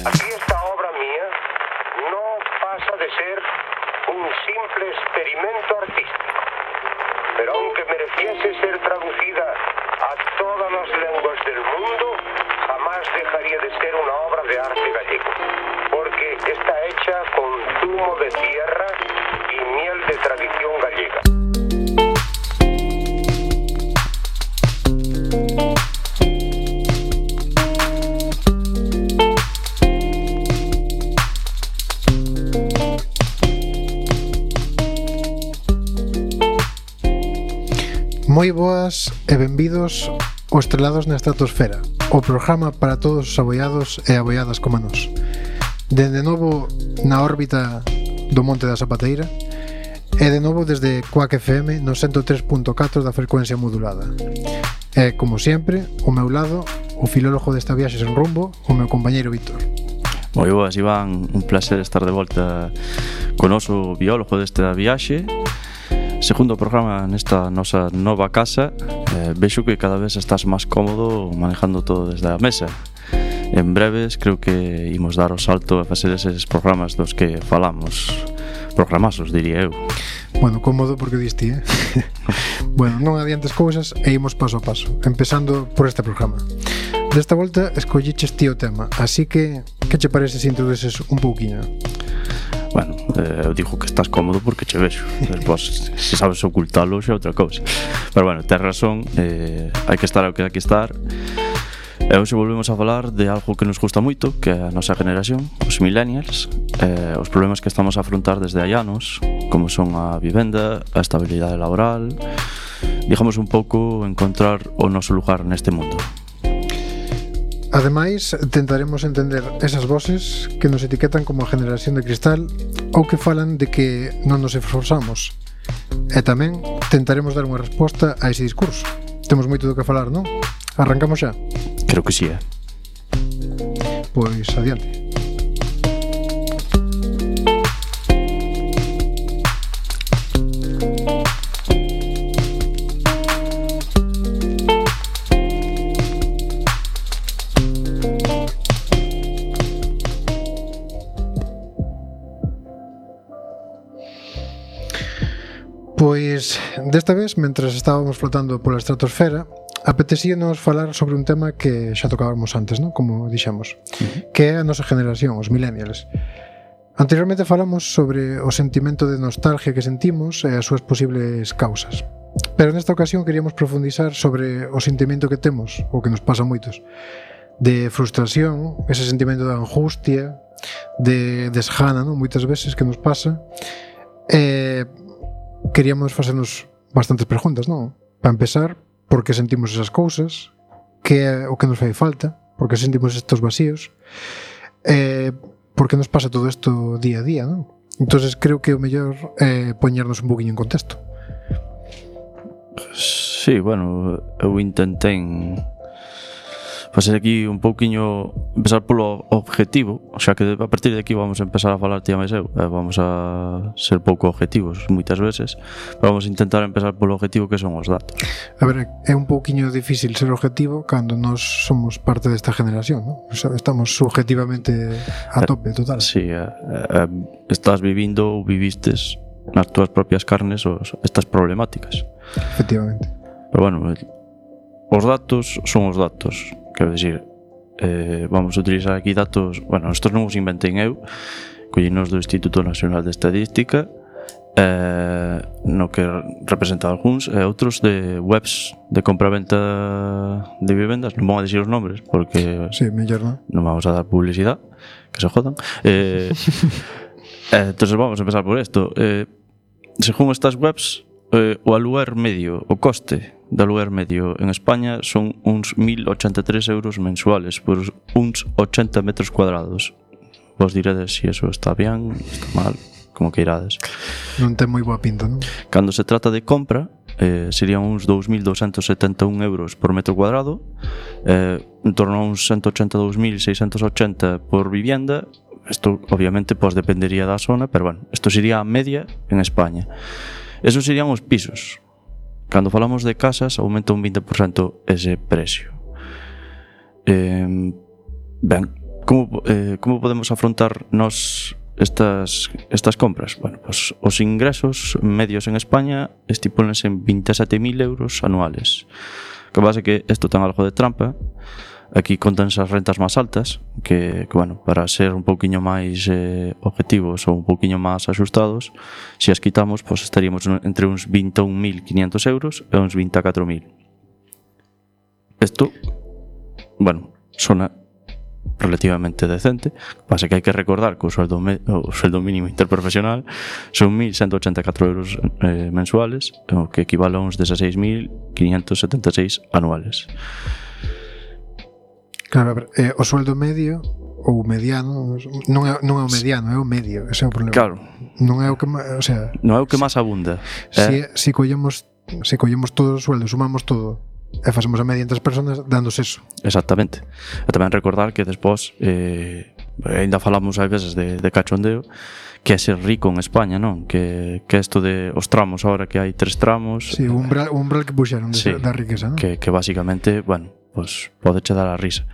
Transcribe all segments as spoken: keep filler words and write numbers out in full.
Aquí esta obra mía no pasa de ser un simple experimento artístico, pero aunque mereciese ser traducida a todas las lenguas del mundo, jamás dejaría de ser una obra de arte gallego, porque está hecha con zumo de tierra y miel de tradición gallega. Moi boas e benvidos ao Estrelados na Estratosfera, o programa para todos os aboiados e aboiadas como nós. Dende novo na órbita do Monte da Zapateira e de novo desde Quack F M no ciento tres punto catro da frecuencia modulada. E, como sempre, ao meu lado, o filólogo desta viaxe sen rumbo, o meu compañeiro Víctor. Moi boas, Iván, un placer estar de volta con o noso biólogo desta viaxe. Segundo programa nesta nosa nova casa. eh, Vexo que cada vez estás máis cómodo manejando todo desde a mesa. En breves creo que imos dar o salto a facer eses programas dos que falamos. Programasos, diría eu. Bueno, cómodo porque diste, eh? Bueno, non adiantes cousas e imos paso a paso, empezando por este programa. Desta volta escolliches ti o tema, así que que che parece se introduces un pouquiño? Bueno, eh, eu digo que estás cómodo porque che vexo. Despois, se sabes ocultalo, xa é outra cousa. Pero bueno, tes razón, eh, hai que estar ao que hai que estar. E hoxe volvemos a falar de algo que nos gusta moito, que é a nosa generación, os millennials, eh, os problemas que estamos a afrontar desde hai anos, como son a vivenda, a estabilidade laboral, digamos un pouco encontrar o noso lugar neste mundo. Ademais, tentaremos entender esas voces que nos etiquetan como a generación de cristal ou que falan de que non nos esforzamos. E tamén tentaremos dar unha resposta a ese discurso. Temos moito do que falar, non? Arrancamos xa? Creo que sí, eh? Pois adiante. Pois, desta vez, mentres estábamos flotando pola estratosfera, apetecíanos falar sobre un tema que xa tocábamos antes, non? Como dixemos, uh-huh. Que é a nosa generación, os millennials. Anteriormente falamos sobre o sentimento de nostalgia que sentimos e as súas posibles causas. Pero nesta ocasión queríamos profundizar sobre o sentimento que temos, o que nos pasa a moitos, de frustración, ese sentimento de angustia, de desgana, non? Moitas veces que nos pasa. E queríamos facernos bastantes preguntas, non? Para empezar, por que sentimos esas cousas, que é o que nos fai falta, por que sentimos estos vacíos, e por que nos pasa todo isto día a día, non? Entonces creo que o mellor é poñernos un poquinho en contexto. Sí, bueno, eu intentei facer aquí un pouquiño, empezar polo objetivo, xa que a partir de aquí vamos a empezar a falar tía máis eu, vamos a ser pouco objetivos moitas veces, pero vamos a intentar empezar polo objetivo que son os datos. A ver, é un pouquiño difícil ser objetivo cando nós somos parte desta generación, non? O sea, estamos subjetivamente a tope, total. Sí, eh, eh, estás vivindo ou vivistes nas túas propias carnes os, estas problemáticas. Efectivamente. Pero bueno, os datos son os datos. Quero dicir, eh, vamos a utilizar aquí datos. Bueno, estos non os inventei eu, collinos do Instituto Nacional de Estadística, eh, no que representa algúns e outros de webs de compra-venta de vivendas. Non vamos a dicir os nombres porque sí, mellor non non vamos a dar publicidade, que se jodan. eh, eh, entonces vamos a empezar por isto. eh, según estas webs, eh, o aluguer medio, o coste de aluguer medio en España son uns mil ochenta e tres euros mensuales por uns ochenta metros cuadrados. Vos diredes se si eso está bien, está mal, como que irades. Non ten moi boa pinta, non? Cando se trata de compra, eh, serían uns dous mil douscentos setenta e un euros por metro cuadrado, eh, en torno a uns ciento ochenta e dous mil seiscentos ochenta por vivienda. Isto obviamente pues, dependería da zona, pero bueno, isto sería a media en España. Esos serían os pisos. Cando falamos de casas, aumenta un vinte por cento ese precio. Eh, ben, como, eh, como podemos afrontar nos estas, estas compras? Bueno, pues os ingresos medios en España estipúlense en veintisiete mil euros anuales. Que pasa que isto ten algo de trampa. Aquí contanse as rentas máis altas, que, que bueno, para ser un pouquiño máis eh, objetivos ou un pouquiño máis axustados, se as quitamos, pues estaríamos entre uns vinte e un mil quinientos euros e uns vinte e catro mil. Isto, bueno, sona relativamente decente. Pasa que hai que recordar que o sueldo, me, o sueldo mínimo interprofesional son mil ciento ochenta e catro euros eh, mensuales, o que equivale a uns dezaseis mil quinientos setenta e seis anuales. Claro, a ver, eh, o sueldo medio ou mediano non é, non é o mediano, é o medio, ese é o problema. Claro. Non é o que, o sea, non é o que máis abunda. Se, eh? se collemos se collemos todo o sueldo, sumamos todo e facemos a media entre as persoas, dándose eso. Exactamente. E tamén recordar que despois eh, ainda falamos ás veces de, de cachondeo, que é ser rico en España, non? Que que isto de os tramos, ahora que hai tres tramos. Sí, o umbral, o umbral que puxeron de, sí, da riqueza, non? Que, que basicamente, bueno, pues pode che dar a risa.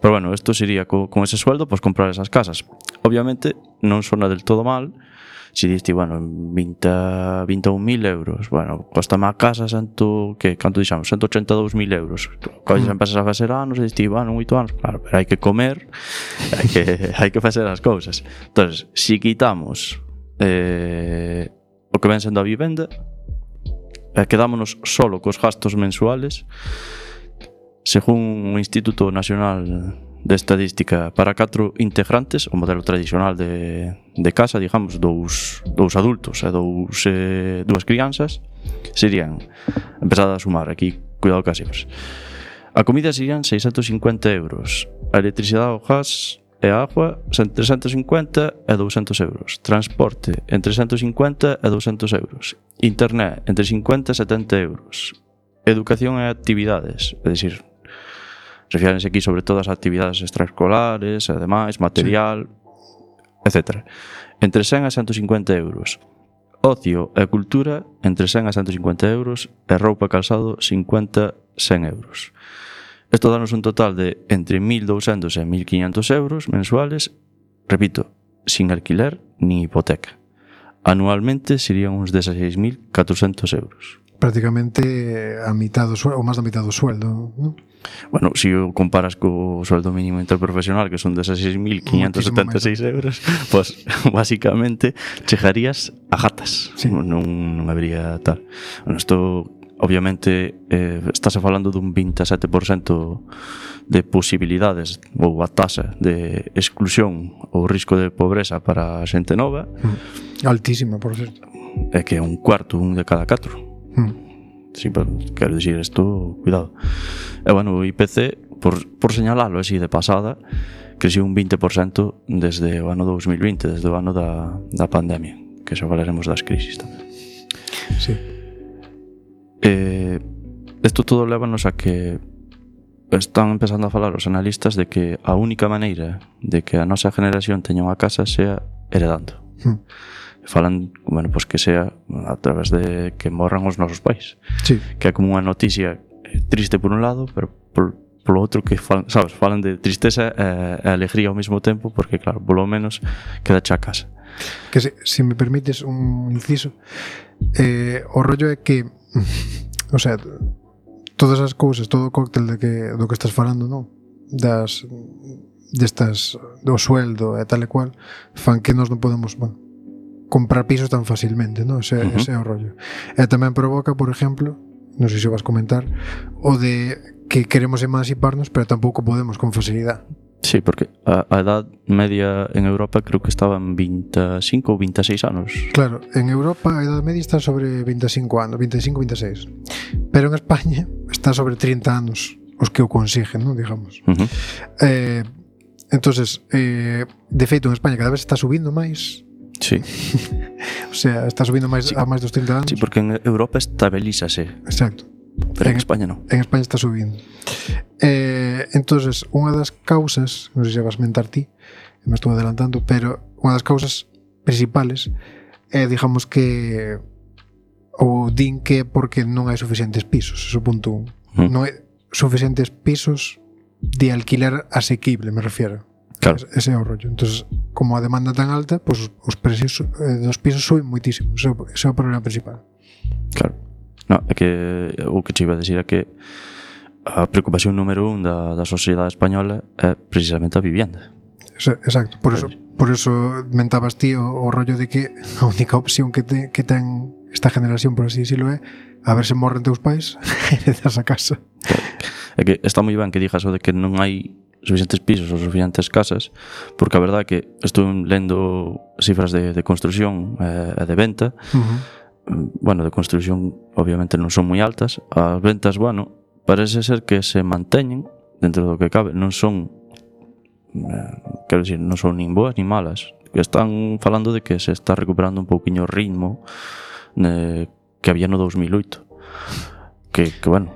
Pero bueno, isto sería co, con ese sueldo, pues comprar esas casas. Obviamente non sona del todo mal. Si diste, bueno, vinte, vinte e un mil euros, bueno, costa má casa cento, que canto dixamos, ciento ochenta e dous mil euros. Colles, empezas a facer anos e diste, bueno, oito anos, claro, pero hai que comer, hai que, hai que facer as cousas. Entonces, si quitamos eh, o que ven sendo a vivenda, eh, quedámonos solo cos gastos mensuales. Según o Instituto Nacional de Estadística, para catro integrantes, o modelo tradicional de, de casa, digamos, dous, dous adultos e dous, eh, dúas crianzas, serían, empezad a sumar aquí, cuidado cas cifras, a comida serían seiscentos cincuenta euros, a electricidade, o gas e a agua entre trescentos cincuenta e doscientos euros, transporte entre trescentos cincuenta e doscientos euros, internet entre cincuenta e setenta euros, educación e actividades, é dicir, refírense aquí sobre todo as actividades extraescolares, ademais, material, sí, etcétera. Entre cen a ciento cincuenta euros. Ocio e cultura, entre cen a ciento cincuenta euros. E roupa e calzado, cincuenta a cen euros. Isto danos un total de entre mil doscientos e mil quinientos euros mensuales, repito, sin alquiler ni hipoteca. Anualmente serían uns dezaseis mil catrocentos euros. Prácticamente a mitad do sueldo, ou máis da mitad do sueldo, non? Bueno, se si o comparas co sueldo mínimo interprofesional, que son dezaseis mil quinientos setenta e seis euros, pues basicamente chegarías a gatas. Sí. Non, non habría tal. Bueno, isto obviamente eh, estás falando dun veintisiete por cento de posibilidades ou a tasa de exclusión ou risco de pobreza para a xente nova. Mm. Altísima, por certo. É que é un cuarto, un de cada catro. Mm. Sí, pero quero dicir isto, cuidado. E bueno, o I P C, por, por señalalo así de pasada, creceu un veinte por cento desde o ano dous mil vinte, desde o ano da, da pandemia, que xa falaremos das crisis tamén. Sí. Eh, isto todo lévanos a que están empezando a falar os analistas de que a única maneira de que a nosa generación teña unha casa sea heredando. Mm. Falan, bueno, pues que sea a través de que morran os nosos pais. Sí. Que é como unha noticia triste por un lado, pero por, por outro que falan, sabes, falan de tristeza e, e alegría ao mesmo tempo, porque claro, polo menos queda xa a casa. Que se, se me permites un inciso, eh, o rollo é que o sea, todas as cousas, todo o cóctel de que, do que estás falando, non? Das destas, do sueldo e tal e cual, fan que nós non podemos, bueno, comprar pisos tan facilmente, ¿no? Ese, uh-huh. ese é o rollo. E tamén provoca, por exemplo, non sei se vas comentar, o de que queremos emanciparnos, pero tampouco podemos con facilidade. Sí, porque a, a edad media en Europa creo que estaba en veinticinco ou veintiséis anos. Claro, en Europa a edad media está sobre veinticinco anos, veinticinco, veintiséis. Pero en España está sobre trinta anos os que o consiguen, ¿no? Digamos. Uh-huh. Eh, entonces, eh, de feito, en España cada vez está subindo máis. Sí. O sea, está subindo máis, sí, a máis dos trinta anos. Sí, porque en Europa estabilízase. Exacto. Pero en, en España non. En España está subindo. Eh, entonces, unha das causas, non sei se vas mentar ti, me estou adelantando, pero unha das causas principales é, digamos que o din que é porque non hai suficientes pisos, eso punto un. Mm. Non hai suficientes pisos de alquiler asequible, me refiero. Claro. Ese é o rollo. Entonces, como a demanda tan alta, pues, os precios eh, dos pisos suben moitísimo. Ese, ese é o problema principal. Claro. No, é que o que che iba a decir é que a preocupación número un da, da sociedade española é precisamente a vivienda. Exacto, por eso, por eso mentabas ti o, o rollo de que a única opción que, te, que ten esta generación, por así decirlo, é a ver se morren teus pais e heredas a casa. É que está moi ben que digas o de que non hai suficientes pisos ou suficientes casas, porque a verdade é que estou lendo cifras de, de construción e eh, de venta. Uh-huh. Bueno, de construción obviamente non son moi altas. As ventas, bueno, parece ser que se manteñen dentro do que cabe. Non son, eh, quero dicir, non son nin boas nin malas. Están falando de que se está recuperando un pouquiño o ritmo eh, que había no dos mil oito. Que, que bueno,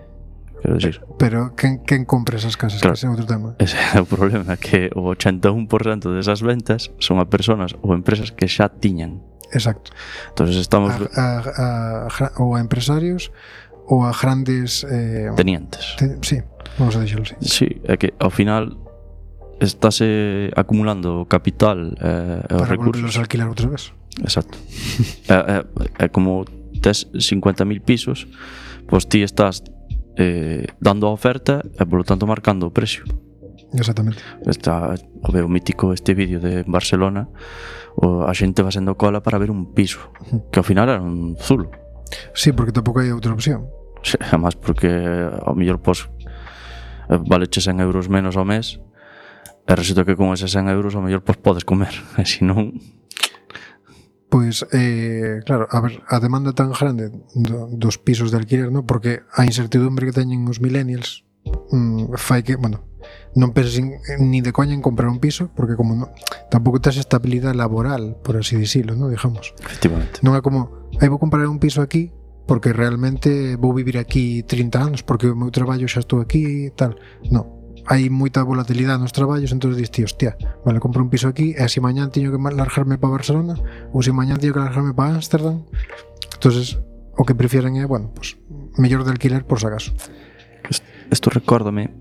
quero dicir. Pero quen, quen compra esas casas? Claro, ese é outro tema. Ese é o problema, que o ochenta e un por cento desas ventas son a personas ou empresas que xa tiñan. Exacto. Entonces estamos a, a, a, ou a empresarios ou a grandes eh, tenientes. Te, sí, vamos a dixelo así. Sí, é que ao final estáse acumulando capital e eh, os recursos para alquilar outra vez. Exacto. é, é, é como tes cincuenta mil pisos, pois ti estás eh, dando a oferta e polo tanto marcando o precio. Exactamente. Está o veo mítico este vídeo de Barcelona, o a xente va sendo cola para ver un piso, que ao final era un zulo. Sí, porque tampouco hai outra opción. Sí, además porque ao mellor pos valeche cen euros menos ao mes e resulta que con eses cen euros ao mellor pos podes comer, e se non... Pois, eh, claro, a ver, a demanda tan grande do, dos pisos de alquiler, ¿no? Porque a incertidumbre que teñen os millennials mm, fai que, bueno, non penses ni de coña en comprar un piso, porque como no, tampouco tes estabilidade laboral, por así dicilo, ¿no? Digamos. Efectivamente. Non é como, aí vou comprar un piso aquí porque realmente vou vivir aquí trinta anos, porque o meu traballo xa estou aquí e tal. Non. Hai moita volatilidade nos traballos, entón dis ti, hostia, vale, compro un piso aquí e se mañán teño que largarme para Barcelona ou se mañán teño que largarme para Ámsterdam. Entonces, o que prefieren é, bueno, pues, mellor de alquiler por si acaso. Isto recórdame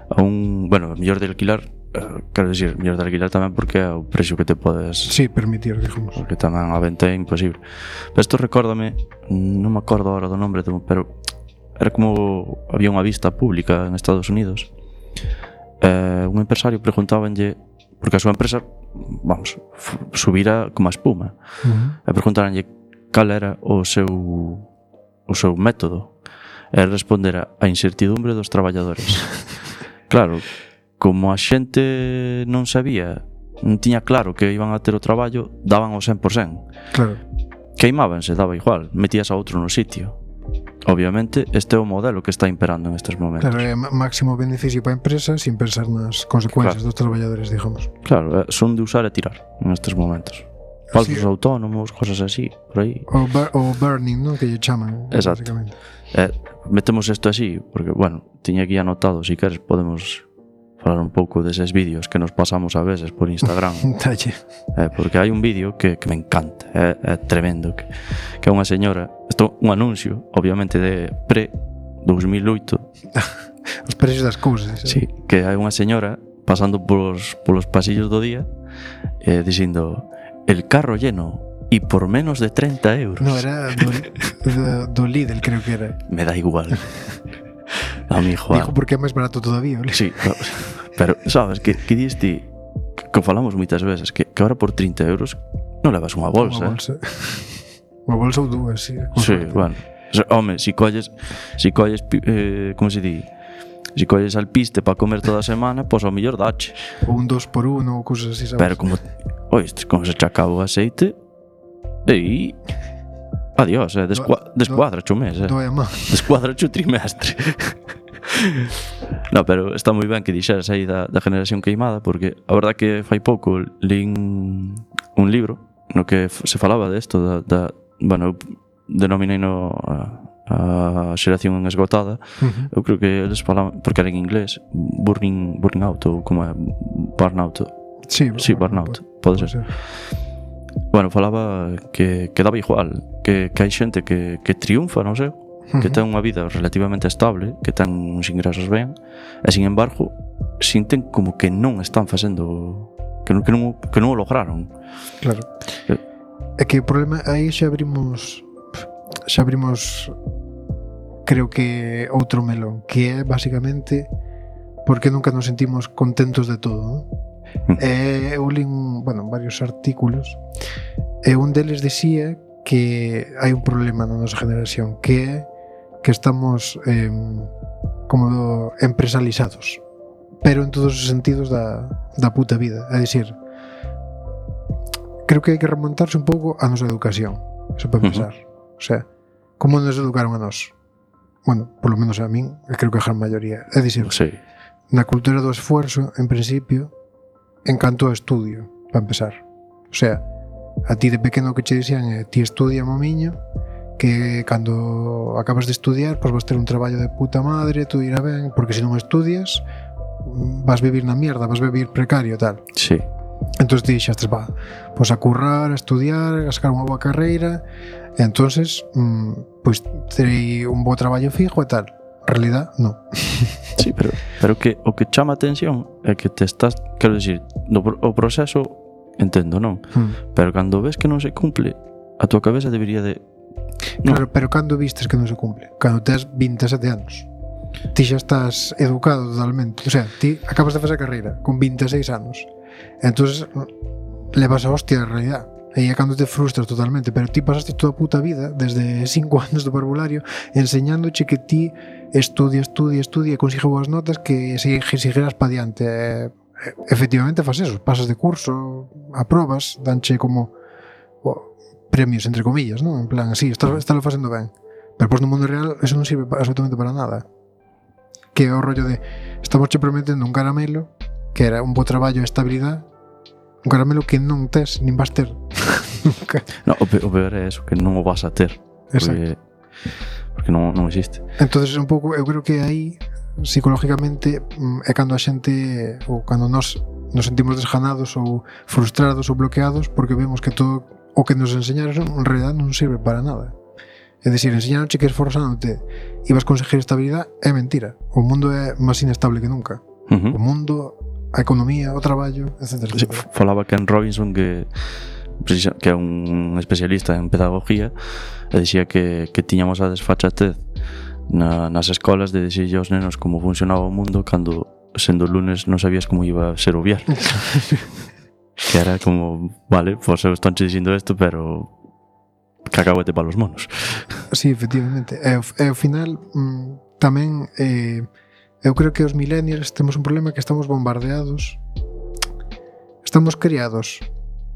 a un, bueno, mellor de alquilar, eh, quero dicir, mellor de alquilar tamén porque é o precio que te podes... Sí, permitir, digamos. Porque tamén a venta é imposible. Pero isto recórdame, non me acordo agora do nombre, pero era como había unha vista pública en Estados Unidos. Eh, un empresario preguntábanlle, porque a súa empresa, vamos, subira como a espuma, uh-huh. e preguntáranlle cal era o seu o seu método, e respondera a incertidumbre dos traballadores. Claro, como a xente non sabía, non tiña claro que iban a ter o traballo, daban o cen por cento. Claro. Queimábanse, daba igual, metías a outro no sitio. Obviamente, este é o modelo que está imperando en estes momentos. Claro, é máximo beneficio para a empresa sin pensar nas consecuencias claro. dos traballadores, digamos. Claro, son de usar e tirar nestes momentos. Falsos sí. autónomos, cosas así, por aí. O, bur o burning, ¿no? Que lle chaman. Exacto. Eh, metemos isto así, porque, bueno, tiña aquí anotado, si queres podemos falar un pouco deses vídeos que nos pasamos a veces por Instagram. eh, porque hai un vídeo que, que me encanta, é, é tremendo, que, que é unha señora, isto un anuncio, obviamente de pre dos mil oito. Os precios das cousas. Sí, que hai unha señora pasando polos, polos pasillos do día eh, dicindo, el carro lleno y por menos de treinta euros. No, era do, do, do Lidl, creo que era. Me da igual. A mi Juan. Dijo porque é máis barato todavía, ¿vale? Sí, pero sabes que, que diste, que falamos moitas veces, que, que ahora por treinta euros non levas unha bolsa. Unha bolsa. Unha bolsa ou dúas, sí. Sí, bueno. Home, si colles, si colles, eh, como se di? Si colles alpiste para comer toda a semana, pois ao mellor dache. Ou un dos por uno ou cousas así, sabes? Pero como, oíste, como se che acaba o aceite, e adiós, eh, descua, descuadra cho mes, eh. Doe a má. Descuadra cho trimestre. No, pero está moi ben que dixeras aí da, da generación queimada, porque a verdad que fai pouco lín un libro no que se falaba de isto, da, da, bueno, denominei no a, a xeración esgotada. Uh-huh. Eu creo que eles falaban, porque era en inglés, burning, burning out, ou como é, burnout. Sí, sí, burnout, pode, pode ser. ser. Bueno, falaba que, que daba igual, que, que hai xente que, que triunfa, non sei, uh-huh. que ten unha vida relativamente estable, que ten uns ingresos ben, e sin embargo sinten como que non están facendo, que non, que non, que non o lograron. Claro. Eh. É que o problema aí xa abrimos xa abrimos creo que outro melón, que é basicamente porque nunca nos sentimos contentos de todo, non? Uh-huh. E eu li un, bueno, varios artículos e un deles dicía que hai un problema na nosa generación, que é que estamos eh, como empresalizados, pero en todos os sentidos da, da puta vida. É dicir, creo que hai que remontarse un pouco a nosa educación, eso para pensar. Uh-huh. O sea, como nos educaron a nós? Bueno, polo menos a min, e creo que a gran maioría. É dicir, sí. Na cultura do esfuerzo, en principio, encanto o estudio, para empezar. O sea, a ti de pequeno que che dixían é ti estudia, mamiño, que cando acabas de estudiar pois vas ter un traballo de puta madre, tú irá ben, porque se non estudias vas vivir na mierda, vas vivir precario, tal. Sí. Entón ti dixastes, va, pois a currar, a estudiar, a sacar unha boa carreira, e entonces mmm, pois terei un bo traballo fijo e tal. En realidad, non. Sí, pero, pero que o que chama a atención é que te estás, quero dicir, no, o proceso entendo, non? Hmm. Pero cando ves que non se cumple, a tua cabeza debería de... No. Claro, pero cando vistes que non se cumple? Cando tes vinte e sete anos. Ti xa estás educado totalmente. O sea, ti acabas de facer a carreira con vinte e seis anos. Entonces levas a hostia de realidad. E é cando te frustras totalmente. Pero ti pasaste toda a puta vida, desde cinco anos do parvulario, enseñándoche que ti estudia, estudia, estudia e consigue boas notas que se seguirás pa diante. E, efectivamente faz eso, pasas de curso, aprobas, danche como oh, premios entre comillas, ¿no? En plan, así, estás, estás facendo ben. Pero pois no mundo real eso non sirve absolutamente para nada. Que é o rollo de estamos che prometendo un caramelo que era un bo traballo e estabilidade, un caramelo que non tes nin vas ter nunca. No, o, pe- o peor é eso, que non o vas a ter. Porque, porque non, non existe. Entonces un pouco, eu creo que aí psicológicamente é cando a xente ou cando nos nos sentimos desganados ou frustrados ou bloqueados porque vemos que todo o que nos enseñaron en realidad non sirve para nada. É dicir, enseñaronche que esforzándote ibas a conseguir estabilidade, é mentira. O mundo é máis inestable que nunca. Uh-huh. O mundo, a economía, o traballo, etcétera. Sí, falaba Ken Robinson que que é un especialista en pedagogía e dicía que, que tiñamos a desfachatez Na, nas escolas de dicirlle aos nenos como funcionaba o mundo cando sendo lunes non sabías como iba a ser o viernes. Que era como, vale, pois eu estou dicindo isto, pero cacahuete para os monos. Sí, efectivamente. E ao, e ao final mm, tamén eh, eu creo que os millennials temos un problema que estamos bombardeados, estamos criados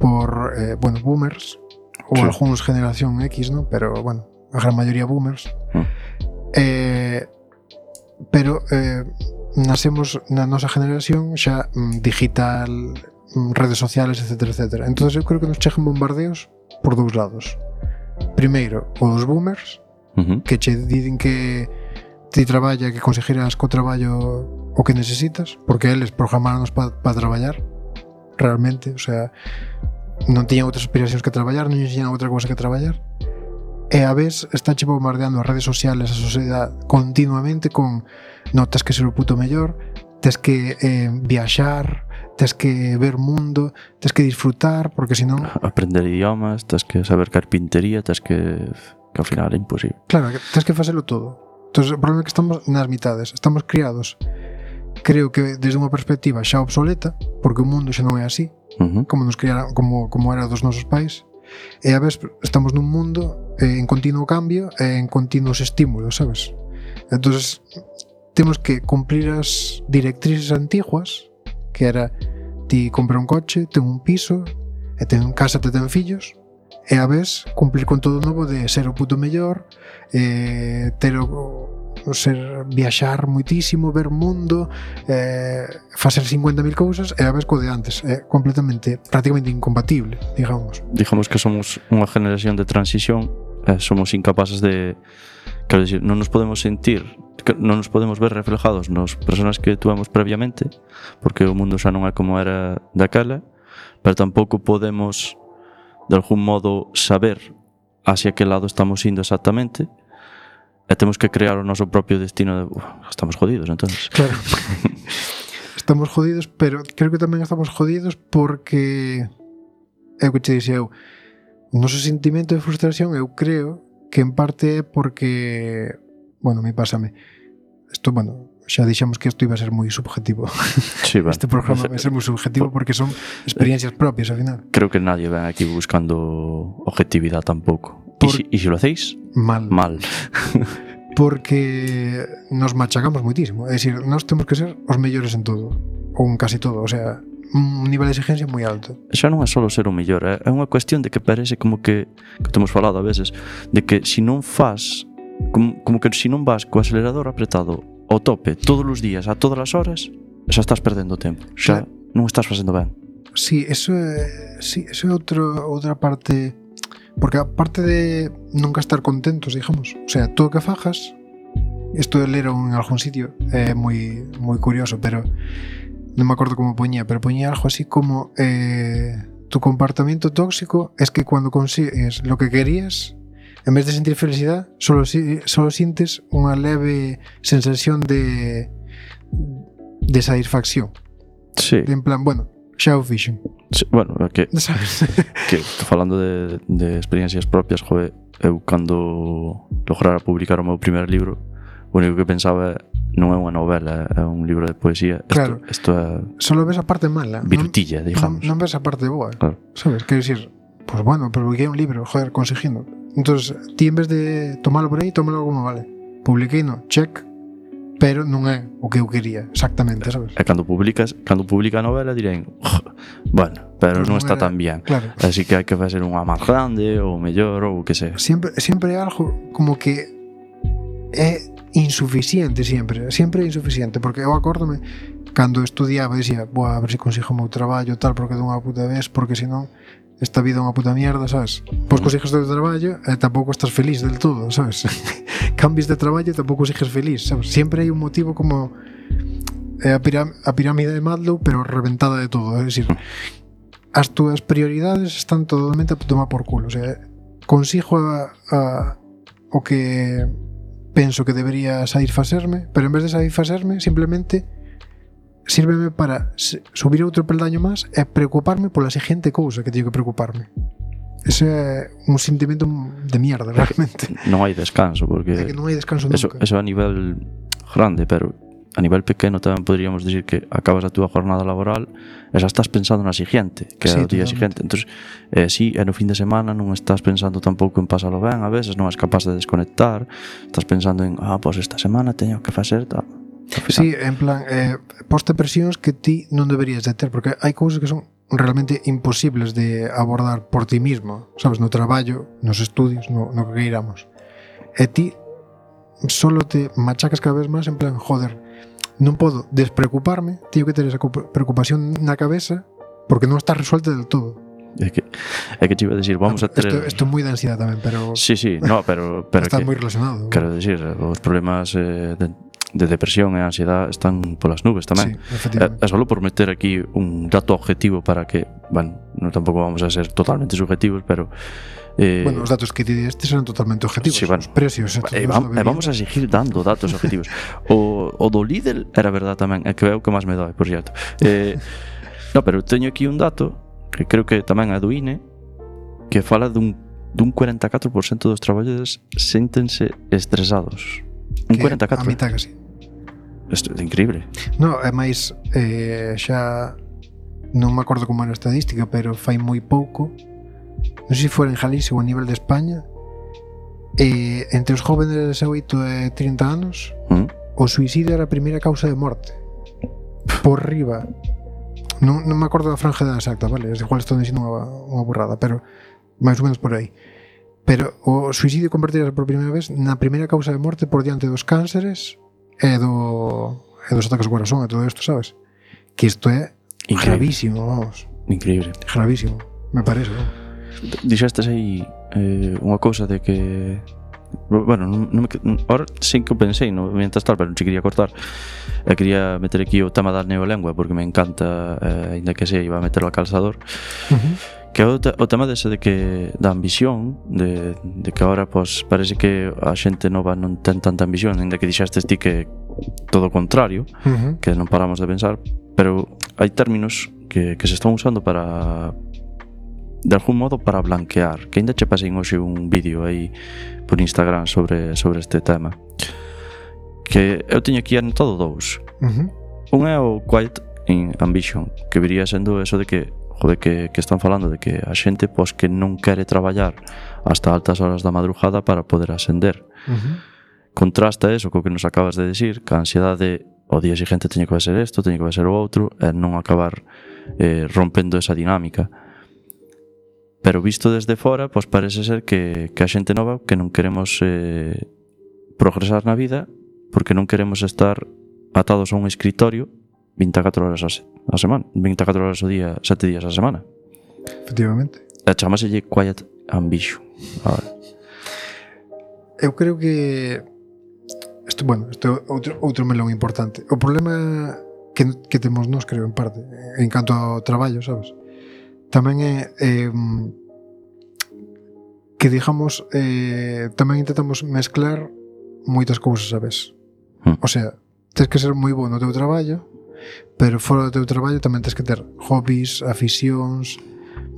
por eh, bueno, boomers ou sí. Algúns generación X, ¿no? Pero bueno, a gran maioría boomers. Mm. Eh, pero eh, nasemos na nosa generación xa mm, digital, mm, redes sociales, etcétera, etcétera. Entonces eu creo que nos chegan bombardeos por dous lados. Primeiro, o dos boomers, uh-huh. que che dicen que ti traballa, que conseguirás co traballo o que necesitas, porque eles programaronos para pa traballar realmente, o sea, non tiñan outras aspiracións que traballar, non tiñan outra cosa que traballar. E a vez está che bombardeando as redes sociales, a sociedade continuamente con no, tes que ser o puto mellor, tes que eh, viaxar, tes que ver mundo, tes que disfrutar, porque senón aprender idiomas, tes que saber carpintería, tes que que ao final é imposible. Claro, tes que facelo todo. Entón, o problema é que estamos nas mitades, estamos criados creo que desde unha perspectiva xa obsoleta, porque o mundo xa non é así, uh-huh. como nos criaran, como como era dos nosos pais. E a vez estamos nun mundo eh, en continuo cambio e en continuos estímulos, sabes? Entonces temos que cumplir as directrices antiguas, que era ti compra un coche, ten un piso e ten casa, te ten fillos, e a vez cumplir con todo o novo de ser o puto mellor, eh, ter o ser viaxar moitísimo, ver mundo, eh, facer cincuenta mil cousas, e a vez co de antes, é completamente, prácticamente incompatible, digamos. Digamos que somos unha generación de transición, eh, somos incapaces de, quero dicir, non nos podemos sentir, non nos podemos ver reflejados nas persoas que tuvemos previamente, porque o mundo xa non é como era daquela, pero tampouco podemos de algún modo saber hacia que lado estamos indo exactamente. e temos que crear o noso propio destino de, uh, estamos jodidos, entonces. Claro. Estamos jodidos, pero creo que tamén estamos jodidos porque é o que te dixei eu, o noso sentimento de frustración eu creo que en parte é porque, bueno, me pásame isto, bueno, xa dixemos que isto iba a ser moi subjetivo. Sí, bueno, este programa vai ser moi subjetivo porque son experiencias propias ao final. Creo que nadie ven aquí buscando objetividade tampouco. E Por... si, si lo hacéis, mal. Mal. Porque nos machacamos moitísimo. É dicir, nós temos que ser os mellores en todo, ou en casi todo, o sea, un nivel de exigencia moi alto. Xa non é só ser o mellor, é unha cuestión de que parece como que, que temos falado a veces, de que se non faz, como, como que se non vas co acelerador apretado ao tope todos os días, a todas as horas, xa estás perdendo tempo, xa claro. Non estás facendo ben. Sí, eso é, sí, eso é outro, outra parte. Porque aparte de nunca estar contentos, digamos, o sea, todo o que fajas, isto de ler en algún sitio é moi moi curioso, pero non me acordo como poñía, pero poñía algo así como eh, tu comportamiento tóxico es que cuando consigues lo que querías, en vez de sentir felicidad, solo, solo sientes unha leve sensación de de satisfacción. Sí. De en plan, bueno, xa o fixen. Sí, bueno, é que, ¿sabes? que falando de, de experiencias propias, joder, eu cando lograra publicar o meu primer libro, o único que pensaba non é unha novela, é un libro de poesía. Claro. Isto é solo ves a parte mala, virutilla, non, digamos. Non, non ves a parte boa, claro. Sabes? Quero dicir, pues bueno, publiquei un libro, joder, conseguindo. Entonces, ti en vez de tomalo por aí, tómalo como vale. Publiquei, no, check, pero non é o que eu quería exactamente, sabes? E cando publicas, cando publica a novela dirén, bueno, pero pues non, non está era, tan bien. Claro. Así que hai que facer unha máis grande ou mellor ou o que sea. Sempre sempre é algo como que é insuficiente sempre, sempre é insuficiente, porque eu acórdome cando estudiaba dicía, "Boa, a ver se consigo o meu traballo tal, porque dunha puta vez, porque senón esta vida é unha puta mierda, sabes? Pois consigues o teu traballo e tampouco estás feliz del todo, sabes? Cambies de traballo e tampouco sigues feliz, sabes? Sempre hai un motivo como eh, a, piram a pirámide de Maslow, pero reventada de todo, é dicir, as túas prioridades están totalmente a tomar por culo, o sea, consigo a, a, o que penso que debería satisfacerme, pero en vez de satisfacerme, simplemente sírveme para subir outro peldaño máis e preocuparme pola seguinte cousa que teño que preocuparme. Ese é un sentimento de mierda, realmente. Non hai descanso, porque é que non hai descanso nunca. Eso, eso a nivel grande, pero a nivel pequeno tamén poderíamos decir que acabas a túa jornada laboral e xa estás pensando na siguiente, que sí, é o día siguiente. Entón, eh, sí, e no fin de semana non estás pensando tampouco en pasalo ben, a veces non és capaz de desconectar, estás pensando en, ah, pois esta semana teño que facer tal. Sí, en plan, eh, poste presións que ti non deberías de ter, porque hai cousas que son realmente imposibles de abordar por ti mismo, sabes, no traballo, nos estudios, no, no que queiramos. E ti solo te machacas cada vez máis en plan, joder, non podo despreocuparme, teño que ter esa preocupación na cabeza porque non está resuelta del todo. É que, é que te iba a decir, vamos a ter... Isto, isto é moi de ansiedade tamén, pero... Sí, sí, no, pero... pero está que, moi relacionado. Quero decir, os problemas eh, de, de depresión e ansiedade están polas nubes tamén. Sí, efectivamente. É, é solo por meter aquí un dato objetivo para que, bueno, non tampouco vamos a ser totalmente subjetivos, pero... Eh, bueno, os datos que te diste serán totalmente objetivos. Sí, bueno, os precios. E vamos, vamos a seguir dando datos objetivos. O, o do Lidl era verdad tamén, é que é o que máis me dói, por cierto. Eh, no, pero teño aquí un dato que creo que tamén é do I N E, que fala dun, dun cuarenta e catro por cento dos traballadores séntense estresados. Un cuarenta e catro por cento. A mitad casi. Isto é increíble. No, é máis eh, xa non me acordo como era a estadística, pero fai moi pouco, non sei se fora en Galicia ou a nivel de España, eh, entre os jóvenes de dezaoito e trinta anos, ¿Mm? O suicidio era a primeira causa de morte por riba. Non, non me acordo da franja da exacta, vale? Es igual estou dicindo unha, unha burrada, pero máis ou menos por aí. Pero o suicidio convertirase por primeira vez na primeira causa de morte por diante dos cánceres e, do, e dos ataques ao corazón e todo isto, sabes? Que isto é increíble. Gravísimo, vamos. Increíble. Gravísimo, me parece, ¿no? Dixestes aí eh, unha cousa de que... Bueno, non, non me, ahora sí que o pensei no, mientras tal, pero non se quería cortar. E quería meter aquí o tema da neolengua porque me encanta, eh, ainda que sei, iba a meterlo al calzador. Uh-huh. Que o, te, o tema dese de que da ambición, de, de que agora pues, parece que a xente nova non ten tanta ambición, ainda que dixestes ti que todo o contrario, Uh-huh. que non paramos de pensar, pero hai términos que, que se están usando para, de algún modo, para blanquear. Que ainda che pasei hoxe un vídeo aí por Instagram sobre, sobre este tema. Que eu teño aquí anotado dous. Uh-huh. Un é o Quiet Ambition, que viría sendo eso de que joder, que, que están falando de que a xente pois, que non quere traballar hasta altas horas da madrugada para poder ascender. Uh-huh. Contrasta eso co que nos acabas de decir, que a ansiedade o día seguinte teño que ser isto, teño que ser o outro, e non acabar eh, rompendo esa dinámica. Pero visto desde fora, pois parece ser que, que a xente nova que non queremos eh, progresar na vida porque non queremos estar atados a un escritorio vinte e catro horas a, se, a semana, vinte e catro horas ao día, sete días a semana. Efectivamente. E chamaselle Quiet Ambition. A ver. Eu creo que isto, bueno, isto é outro, outro melón importante. O problema que, que temos nós, creo, en parte, en canto ao traballo, sabes? Tamén é eh, que, digamos, eh, tamén intentamos mezclar moitas cousas a vez. Hmm. O sea, tens que ser moi bo no teu traballo, pero fora do teu traballo tamén tens que ter hobbies, aficións,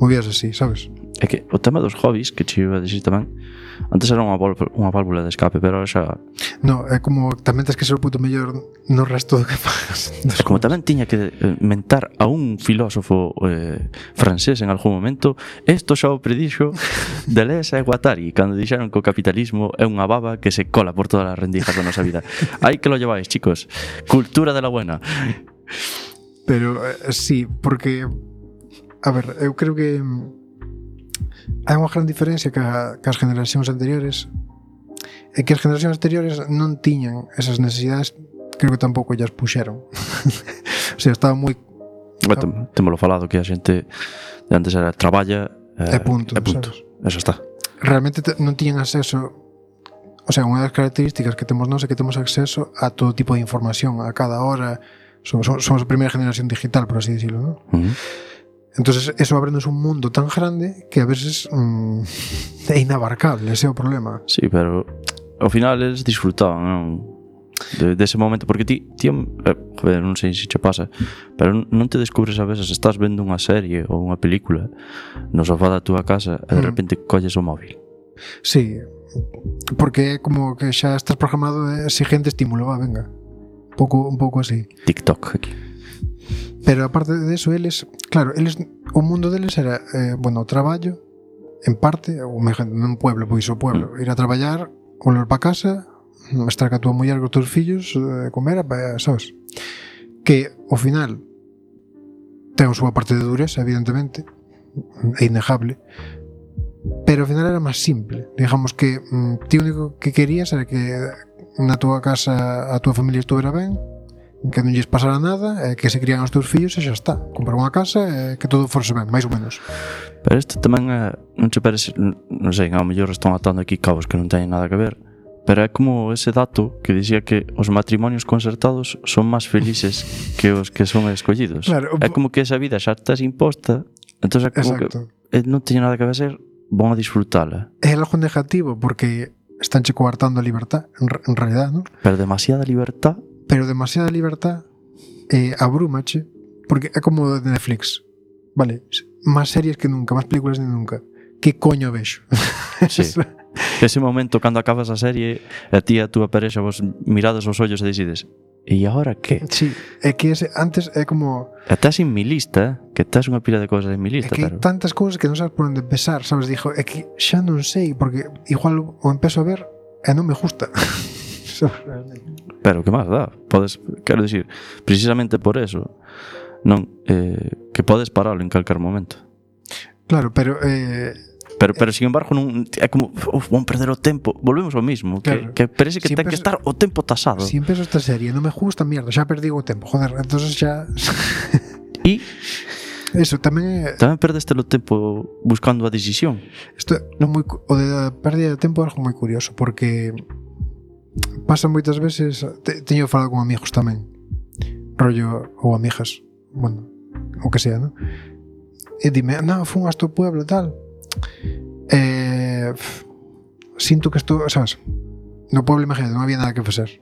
movidas así, sabes? É que o tema dos hobbies, que che iba a dicir tamén, antes era unha, vol- unha válvula de escape, pero ahora xa... No, é como tamén tens que ser o puto mellor no resto do que fagas. É como tamén tiña que eh, mentar a un filósofo eh, francés en algún momento, esto xa o predixo Deleuze e Guattari, cando dixeron que o capitalismo é unha baba que se cola por todas as rendijas da nosa vida. Aí que lo lleváis, chicos. Cultura de la buena. Pero eh, sí, porque a ver, eu creo que hai unha gran diferencia ca, cas generacións anteriores, é que as generacións anteriores non tiñan esas necesidades, creo que tampouco ellas puxeron. O sea, estaba moi Bueno, témolo falado que a xente de antes era traballa eh, e punto, e punto. sabes? Eso está. Realmente te, non tiñan acceso. O sea, unha das características que temos nós é que temos acceso a todo tipo de información a cada hora. Somos, somos a primeira generación digital, por así decirlo, ¿no? Uh-huh. Entonces eso abrenos un mundo tan grande que a veces mmm, é inabarcable, ese é o problema. Sí, pero ao final eles disfrutaban, non? De, dese momento, porque ti, ti eh, joder, non sei se che pasa, pero non te descubres a veces, estás vendo unha serie ou unha película no sofá da túa casa e de Mm. repente colles o móvil. Sí, porque é como que xa estás programado de siguiente estímulo, va, venga. Un pouco, un pouco así. TikTok aquí. Pero aparte de eso, eles, claro, eles, o mundo deles era, eh, bueno, o traballo, en parte, ou nun pueblo, pois o pueblo, ir a traballar, volver pa casa, estar ca tua muller, cos teus fillos, eh, comer, eh, sabes? Que, ao final, ten a súa parte de dureza, evidentemente, é innegable, pero ao final era máis simple. Digamos que mm, ti o único que querías era que na túa casa a túa familia estuvera ben, que non lles pasara nada, eh, que se crían os teus fillos e xa está. Comprar unha casa e eh, que todo forse ben, máis ou menos. Pero isto tamén é, non che parece, non sei, ao mellor están atando aquí cabos que non teñen nada que ver, pero é como ese dato que dicía que os matrimonios concertados son máis felices que os que son escollidos. Claro, É como que esa vida xa estás imposta, entón é como exacto. que eh, non teñe nada que ver, vão a disfrutala. É algo negativo porque estánche coartando a libertad, en, en realidad, ¿no? Pero demasiada libertad. Pero demasiada libertad eh, abrúmache, porque é como de Netflix, vale? Más series que nunca, más películas que nunca. Que coño vexo? Sí. Ese momento cando acabas a serie e ti e a túa parexa vos mirades aos ollos e decides e agora que? Sí, é que ese, antes é como... E estás en mi lista, que estás unha pila de cousas en mi É lista, que hai pero... tantas cousas que non sabes por onde empezar, sabes? Dixo, é que xa non sei, porque igual o empezo a ver e non me gusta. Pero que máis dá? Podes, quero dicir, precisamente por eso, non, eh, que podes paralo en calquer momento. Claro, pero... Eh, Pero, pero sin embargo, non, é como, uf, vamos perder o tempo. Volvemos ao mismo, Claro. que, que parece que Si ten que empezo- estar o tempo tasado. si empezo esta serie e non me gusta, mierda, xa perdi o tempo, joder, entonces xa... E Eso tamén é... tamén perdeste o tempo buscando a decisión. Isto non moi, cu- o de pérdida de tempo é algo moi curioso, porque pasa moitas veces, te, teño falado con amigos tamén, rollo, ou amigas, bueno, o que sea, ¿no? e dime, no, fun hasta o pueblo e tal. Eh, sinto que estou, sabes, no pueblo, imagínate, non había nada que facer.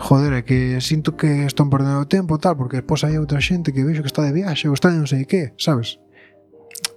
Joder, é que sinto que están perdendo o tempo tal, porque despois hai outra xente que vexo que está de viaxe ou está de non sei que, sabes?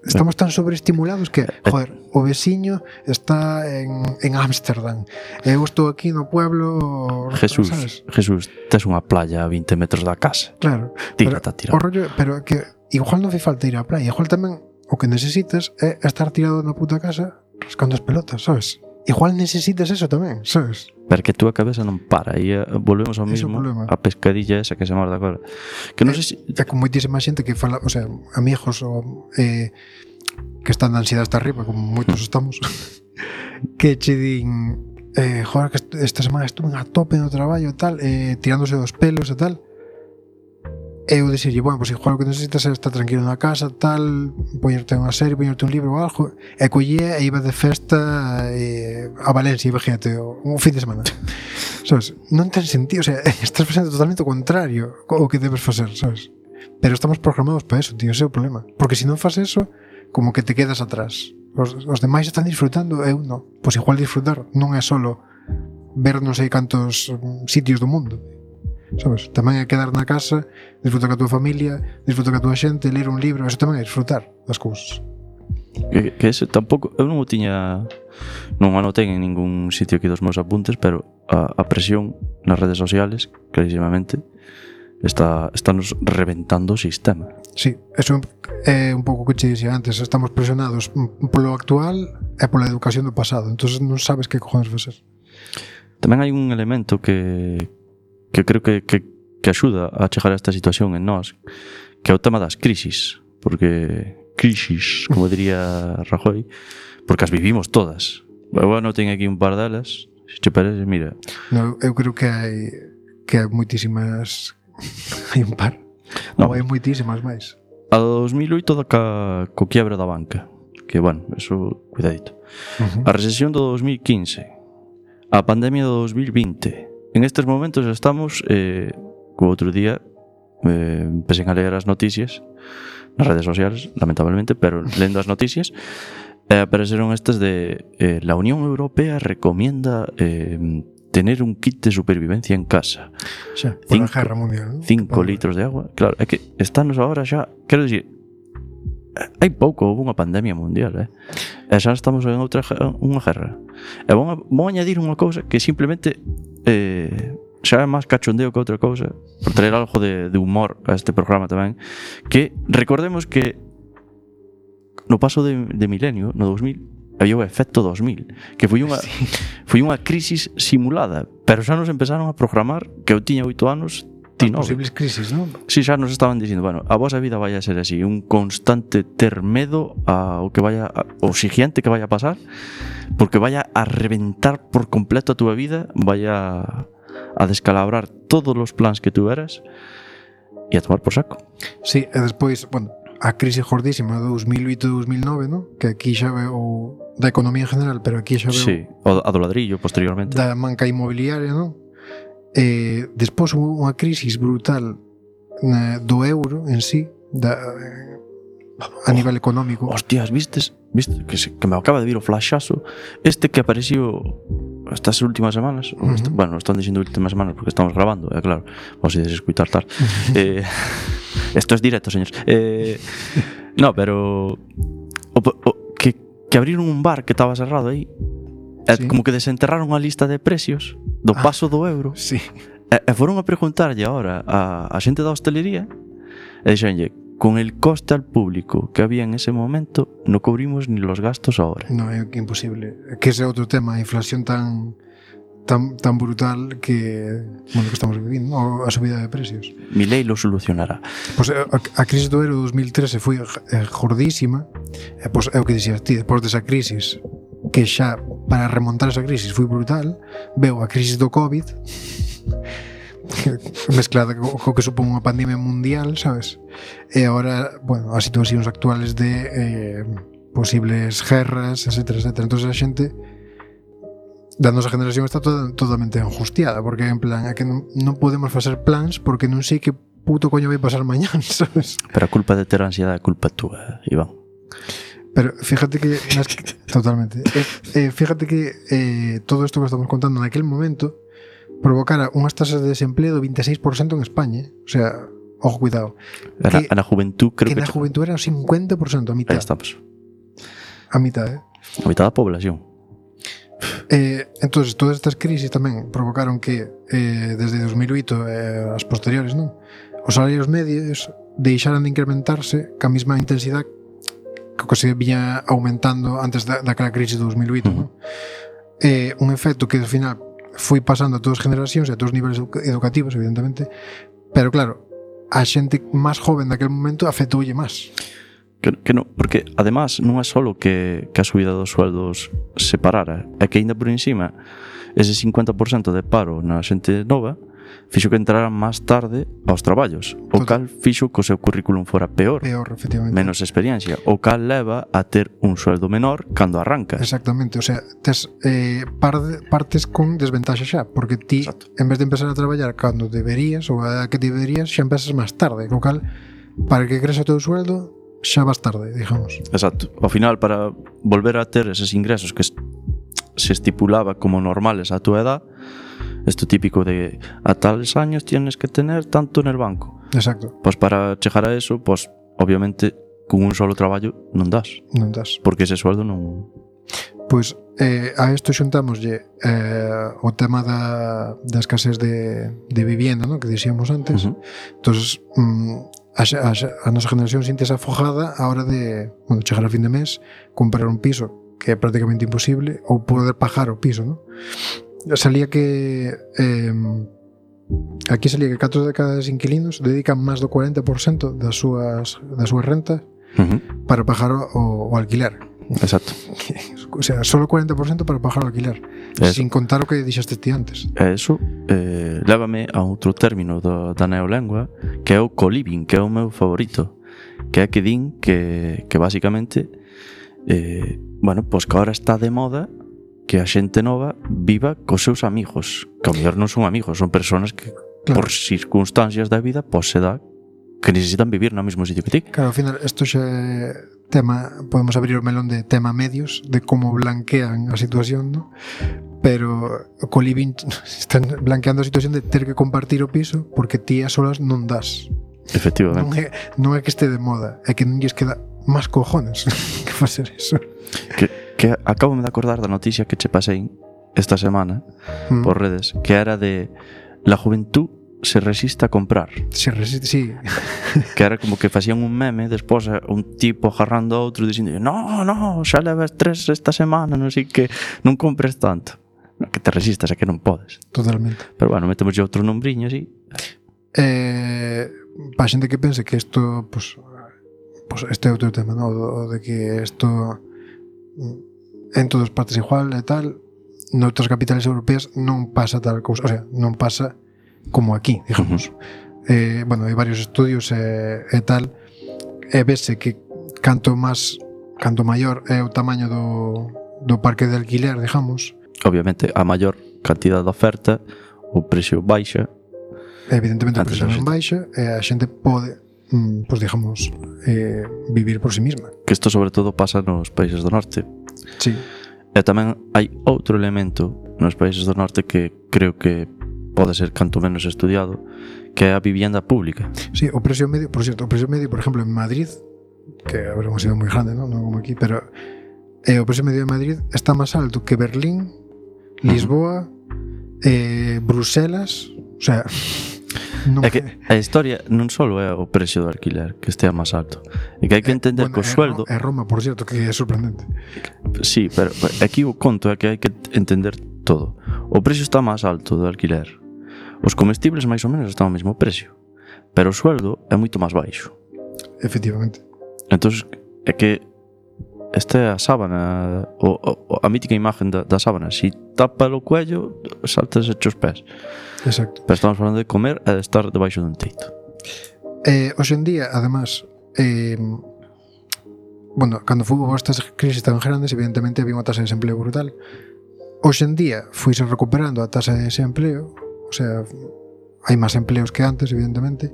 Estamos tan sobreestimulados que, joder, o veciño está en, en Ámsterdam, eu estou aquí no pueblo. Jesús, sabes? Jesús, tes unha playa a vinte metros da casa. Claro, Tírate a tirar. O rollo, pero que igual non fai falta ir á playa, igual tamén o que necesitas é estar tirado na puta casa rascando as pelotas, sabes? Igual necesitas eso tamén, sabes? Porque tú a cabeza non para e uh, volvemos ao mismo, a pescadilla esa que se morda agora. Que non é, sei se... É con moitísima xente que fala, o sea, amigos ou, eh, que están de ansiedade hasta arriba, como moitos estamos, que che din, eh, joder, que esta semana estuve a tope no traballo e tal, eh, tirándose dos pelos e tal. Eu dixerlle, bueno, pois pues igual o que necesitas é estar tranquilo na casa, tal, poñerte unha serie, poñerte un libro ou algo, e collía e iba de festa eh, a Valencia, imagínate, un fin de semana. Sabes? Non ten sentido, o sea, estás facendo totalmente o contrario o que debes facer, sabes? Pero estamos programados para eso, tío, ese é o problema. Porque se non faz eso, como que te quedas atrás. Os, os demais están disfrutando, eu non. Pois igual disfrutar non é solo ver non sei cantos sitios do mundo, sabes? Tamén é quedar na casa, disfrutar ca tua familia, disfrutar ca tua xente, ler un libro, eso tamén é disfrutar das cousas. Que, que ese tampouco, eu non o tiña, non anotei en ningún sitio aquí dos meus apuntes, pero a, a presión nas redes sociales, clarísimamente, está, está nos reventando o sistema. Sí, eso é un pouco que che dixía antes, estamos presionados polo actual e pola educación do pasado, entonces non sabes que cojones facer. Tamén hai un elemento que que creo que, que, que axuda a chegar a esta situación en nós, que é o tema das crisis, porque crisis, como diría Rajoy, porque as vivimos todas. Bueno, ten aquí un par delas, se che parece, mira. No, eu creo que hai que hai moitísimas hai un par, no, ou hai moitísimas máis. A dos mil oito da ca, co quiebre da banca, que bueno, eso, cuidadito. Uh-huh. A recesión do dos mil quince, a pandemia do dos mil vinte. En estes momentos estamos, eh, como outro día, eh, empecé a ler as noticias nas redes sociales, lamentablemente, pero lendo as noticias, eh, apareceron estas de eh, la Unión Europea recomienda eh, tener un kit de supervivencia en casa. Xa, por a guerra mundial, ¿no? Cinco litros de agua. Claro, é que estamos agora xa, quero dicir, hai pouco houve unha pandemia mundial, eh? E xa estamos en outra unha guerra. E vou, vou añadir unha cousa que simplemente eh, xa é máis cachondeo que outra cousa, por traer algo de, de humor a este programa tamén, que recordemos que no paso de, de milenio, no dos mil, había o efecto dos mil, que foi unha, sí. foi unha crisis simulada, pero xa nos empezaron a programar que eu tiña oito anos. Posibles crisis, non? Si, xa nos estaban dicindo, bueno, a vosa vida vai a ser así, un constante ter medo ao que vaya, ao siguiente que vaya a pasar, porque vaya a reventar por completo a túa vida, vaya a descalabrar todos os plans que tú eras e a tomar por saco. Sí, e despois, bueno, a crise gordísima do dos mil oito e dos mil nove, non? Que aquí xa veo da economía en general, pero aquí xa veo sí, a do ladrillo posteriormente, da manca inmobiliaria, non? Eh, despois hubo unha crisis brutal na, do euro en sí, da, a oh, nivel económico. Hostias, vistes? Viste que, se, que me acaba de vir o flashazo este que apareció estas últimas semanas. Uh-huh. Este, bueno, están dicindo últimas semanas porque estamos grabando, é eh, claro, vos ides escutar tal. eh, esto es directo, señores. Eh, no, pero o, o, que, que abriron un bar que estaba cerrado aí. Sí. Como que desenterraron a lista de precios do paso do euro. Sí. E, e foron a preguntarlle agora a, a xente da hostelería e dixenlle, con el coste al público que había en ese momento no cubrimos ni los gastos ahora. No, é imposible. Que ese é outro tema, a inflación tan tan, tan brutal que, bueno, que estamos vivindo, a subida de precios. Milei lo solucionará. Pois a, a crisis do euro dos mil trece foi gordísima, e pois é o que dixías ti, depois desa crisis que xa para remontar esa crisis foi brutal, veo a crisis do COVID mezclada co, co que supón unha pandemia mundial, sabes? E agora, bueno, as situacións actuales de eh, posibles guerras, etcétera, etcétera. Entón a xente da nosa generación está toda, totalmente angustiada, porque en plan, é que non, non podemos facer plans porque non sei que puto coño vai pasar mañán, sabes? Pero a culpa de ter ansiedade é culpa túa, Iván. Pero fíjate que, nas que totalmente eh, eh, fíjate que eh, todo isto que estamos contando naquel momento provocara unhas tasas de desempleo do veintiséis por ciento en España, o sea, ojo, cuidado, que, que, na juventud creo que que na juventud era un cincuenta por ciento, a mitad. Aí estamos. A mitad, eh? A mitad da población. Eh, entonces, todas estas crisis tamén provocaron que eh, desde dos mil oito e eh, as posteriores, non? Os salarios medios deixaran de incrementarse ca mesma intensidade que se viña aumentando antes da, daquela crisis de dos mil oito, uh-huh. non? Eh, un efecto que ao final foi pasando a todas as generacións e a todos os niveles educativos, evidentemente, pero claro, a xente máis joven daquele momento afectoulle máis. Que, que no, porque además non é solo que, que a subida dos sueldos se parara, é que ainda por encima ese cincuenta por ciento de paro na xente nova fixo que entraran máis tarde aos traballos, o cal fixo que o seu currículum fora peor, peor, efectivamente, menos experiencia, o cal leva a ter un sueldo menor cando arrancas. Exactamente, o sea, tes eh, partes con desventaxa xa, porque ti, exacto, en vez de empezar a traballar cando deberías ou a que deberías, xa empezas máis tarde, o cal, para que creça o teu sueldo xa vas tarde, digamos. Exacto, ao final, para volver a ter eses ingresos que se estipulaba como normales a túa edad, esto típico de a tales años tienes que tener tanto en el banco. Exacto. Pues para chegar a eso, pues obviamente con un solo traballo non das. Non das. Porque ese sueldo non... Pois eh, a isto xuntamoslle eh, o tema da, da escasez de, de vivienda, ¿no? Que dixíamos antes. Uh-huh. Entonces, mm, a, a, a nosa generación sientes afojada a hora de, bueno, chegar a fin de mes, comprar un piso que é prácticamente imposible, ou poder pagar o piso, ¿no? Salía que eh, aquí salía que catro de cada inquilinos dedican máis do cuarenta por ciento das súas das súas rentas uh-huh. para pagar o, o alquiler. Exacto. O sea, solo cuarenta por ciento para pagar o alquiler, eso. Sin contar o que dixaste ti antes. Eso eh, lévame a outro término do, da neolengua, que é o co-living, que é o meu favorito, que é que din que, que basicamente eh, bueno, pois pues que ahora está de moda que a xente nova viva cos seus amigos, que ao mellor non son amigos, son persoas que claro, por circunstancias da vida pois se dá que necesitan vivir no mesmo sitio que ti. Claro, ao final isto xa é tema, podemos abrir o melón de tema medios, de como blanquean a situación, ¿no? Pero co living están blanqueando a situación de ter que compartir o piso porque ti a solas non das. Efectivamente. Non é, non é que este de moda, é que non lles queda máis cojones que facer eso. Que que acabo de acordar da noticia que che pasei esta semana mm. por redes, que era de la juventud se resiste a comprar. Se resiste, sí. Que era como que facían un meme despois un tipo agarrando a outro dicindo no, no, xa levas tres esta semana, non sei que, non compres tanto. Que te resistas, é que non podes. Totalmente. Pero bueno, metemos outro nombriño así. Eh, para xente que pense que isto pues, pues este é outro tema, ¿no? O de que isto en todas partes igual e tal, noutras capitales europeas non pasa tal cousa, o sea, non pasa como aquí, digamos. Uh-huh. Eh, bueno, hai varios estudios e, e tal, e vese que canto máis, canto maior é o tamaño do, do parque de alquiler, digamos. Obviamente, a maior cantidade de oferta, o precio baixa. Evidentemente, o precio non baixa, e a xente pode, mm, pues digamos, eh, vivir por sí misma. Que isto sobre todo pasa nos países do norte. Sí. E tamén hai outro elemento nos países do norte que creo que pode ser canto menos estudiado, que é a vivienda pública. Sí, o precio medio, por cierto, o precio medio, por exemplo, en Madrid, que a ver, unha cidade moi grande, non, non como aquí, pero eh, o precio medio de Madrid está máis alto que Berlín, Lisboa, uh-huh. eh, Bruselas, o sea... Non é que a historia non só é o precio do alquiler que estea máis alto, é que hai que entender eh, bueno, que o sueldo é Roma, por cierto, que é sorprendente. Sí, pero aquí o conto é que hai que entender todo. O precio está máis alto do alquiler, os comestibles máis ou menos están ao mesmo precio, pero o sueldo é moito máis baixo. Efectivamente. Entonces é que esta é a sábana, o, o, a mítica imagen da, da sábana, si tapa o cuello, saltas hechos pés. Exacto. Pero estamos falando de comer e de estar debaixo dun teito. Eh, hoxe en día, además, eh, bueno, cando hubo estas crisis tan grandes, evidentemente había unha tasa de desempleo brutal. Hoxe en día fuise recuperando a tasa de desempleo, o sea, hai máis empleos que antes, evidentemente,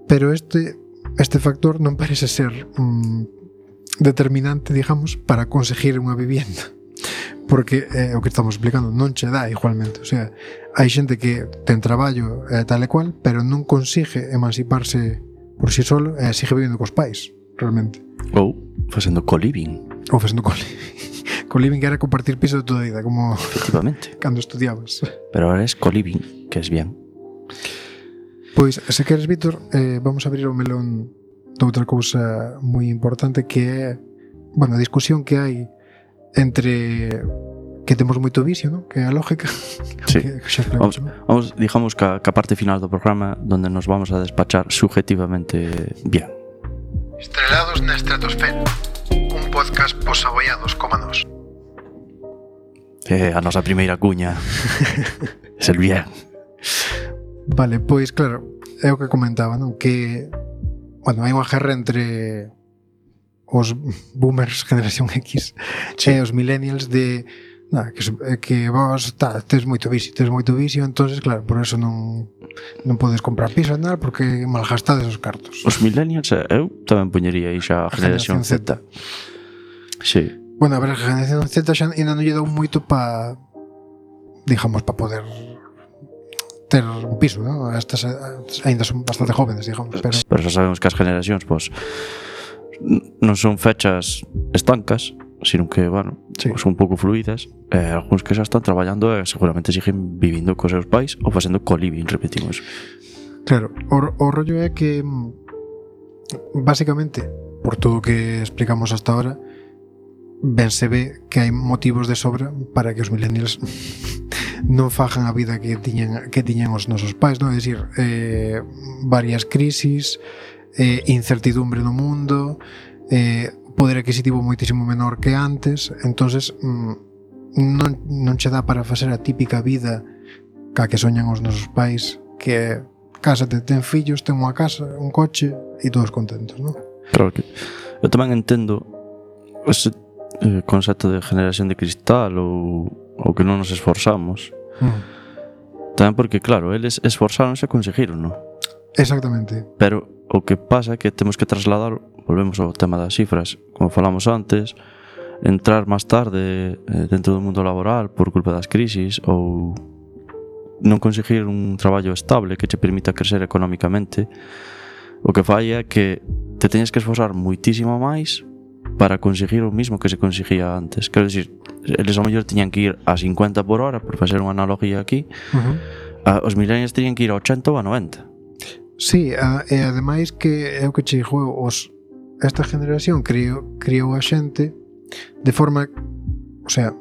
pero este este factor non parece ser mm, determinante, digamos, para conseguir unha vivienda. Porque é eh, o que estamos explicando, non che dá igualmente. O sea, hai xente que ten traballo eh, tal e cual, pero non consigue emanciparse por si solo e eh, sigue vivindo cos pais, realmente. Ou facendo co-living. Ou facendo co-living. Co-living que era compartir piso de toda a vida, como efectivamente, cando estudiabas. Pero ahora es co-living, que es bien. Pois, se queres, Víctor, eh, vamos a abrir o melón de outra cousa moi importante, que é, bueno, a discusión que hai entre que temos moito vicio, ¿no? Que é a lógica. Sí. Que, que xa vamos, vamos, digamos que a, que a parte final do programa donde nos vamos a despachar subjetivamente bien. Estrelados na estratosfera, un podcast posaboiados como nós. Eh, a nosa primeira cuña es el bien. Vale, pois claro, é o que comentaba, non? Que, bueno, hai unha guerra entre os boomers generación X sí. e os millennials de nada, que, que vos tá, tes moito vicio, tes moito vicio, entonces claro, por eso non non podes comprar piso e nada porque malgastades os cartos. Os millennials, eu tamén poñería aí xa a generación, generación Z. Z. Sí. Bueno, a ver, a generación Z xa ainda non lle dou moito pa, digamos, pa poder ter un piso, ¿no? Estas ainda son bastante jóvenes, digamos, pero pero xa sabemos que as generacións, pois, non son fechas estancas, sino que, bueno, sí. son un pouco fluidas, e eh, algúns que xa están traballando e seguramente siguen vivindo cos seus pais ou facendo co-living, repetimos. Claro, o, o rollo é que basicamente, por todo o que explicamos hasta ahora, ben se ve que hai motivos de sobra para que os millennials non fajan a vida que tiñan, que tiñan os nosos pais, non? É dicir, eh, varias crisis, eh, incertidumbre no mundo, eh, poder adquisitivo moitísimo menor que antes, entonces mm, non, non che dá para facer a típica vida ca que soñan os nosos pais, que é cásate, ten fillos, ten unha casa, un coche e todos contentos, non? Claro que eu tamén entendo ese eh, concepto de generación de cristal ou, ou que non nos esforzamos mm. tamén porque, claro, eles esforzaronse e conseguiron, non? Exactamente. Pero o que pasa é que temos que trasladar, volvemos ao tema das cifras, como falamos antes, entrar máis tarde eh, dentro do mundo laboral por culpa das crisis ou non conseguir un traballo estable que te permita crecer económicamente, o que fai é que te teñes que esforzar moitísimo máis para conseguir o mismo que se conseguía antes. Quero dicir, eles ao mellor tiñan que ir a cincuenta por hora, por facer unha analogía aquí, uh-huh. a, os millennials teñan que ir a ochenta ou a noventa. Sí, a, e ademais que é o que che digo, os, esta generación criou, criou a xente de forma, o sea,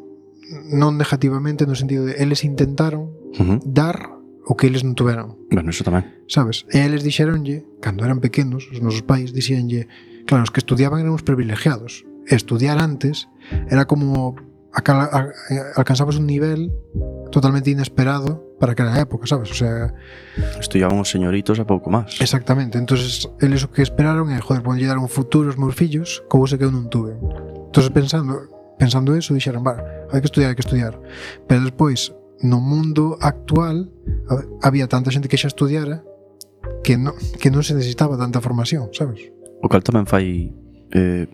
non negativamente, no sentido de eles intentaron uh-huh. dar o que eles non tuveron. Bueno, eso tamén. Sabes? E eles dixeronlle, cando eran pequenos, os nosos pais dixéronlle, claro, os que estudiaban eran os privilegiados. Estudiar antes era como acal, a, a, alcanzabas un nivel totalmente inesperado para aquela época, sabes? O sea, estudiaban os señoritos a pouco máis. Exactamente. Entonces, eles o que esperaron é, joder, ponlle dar un futuro aos meus fillos, cousa que eu non tuve. Entonces, pensando, pensando eso, dixeron, vale, hai que estudiar, hai que estudiar. Pero despois, no mundo actual, había tanta xente que xa estudiara que non, que non se necesitaba tanta formación, sabes? O cal tamén fai eh,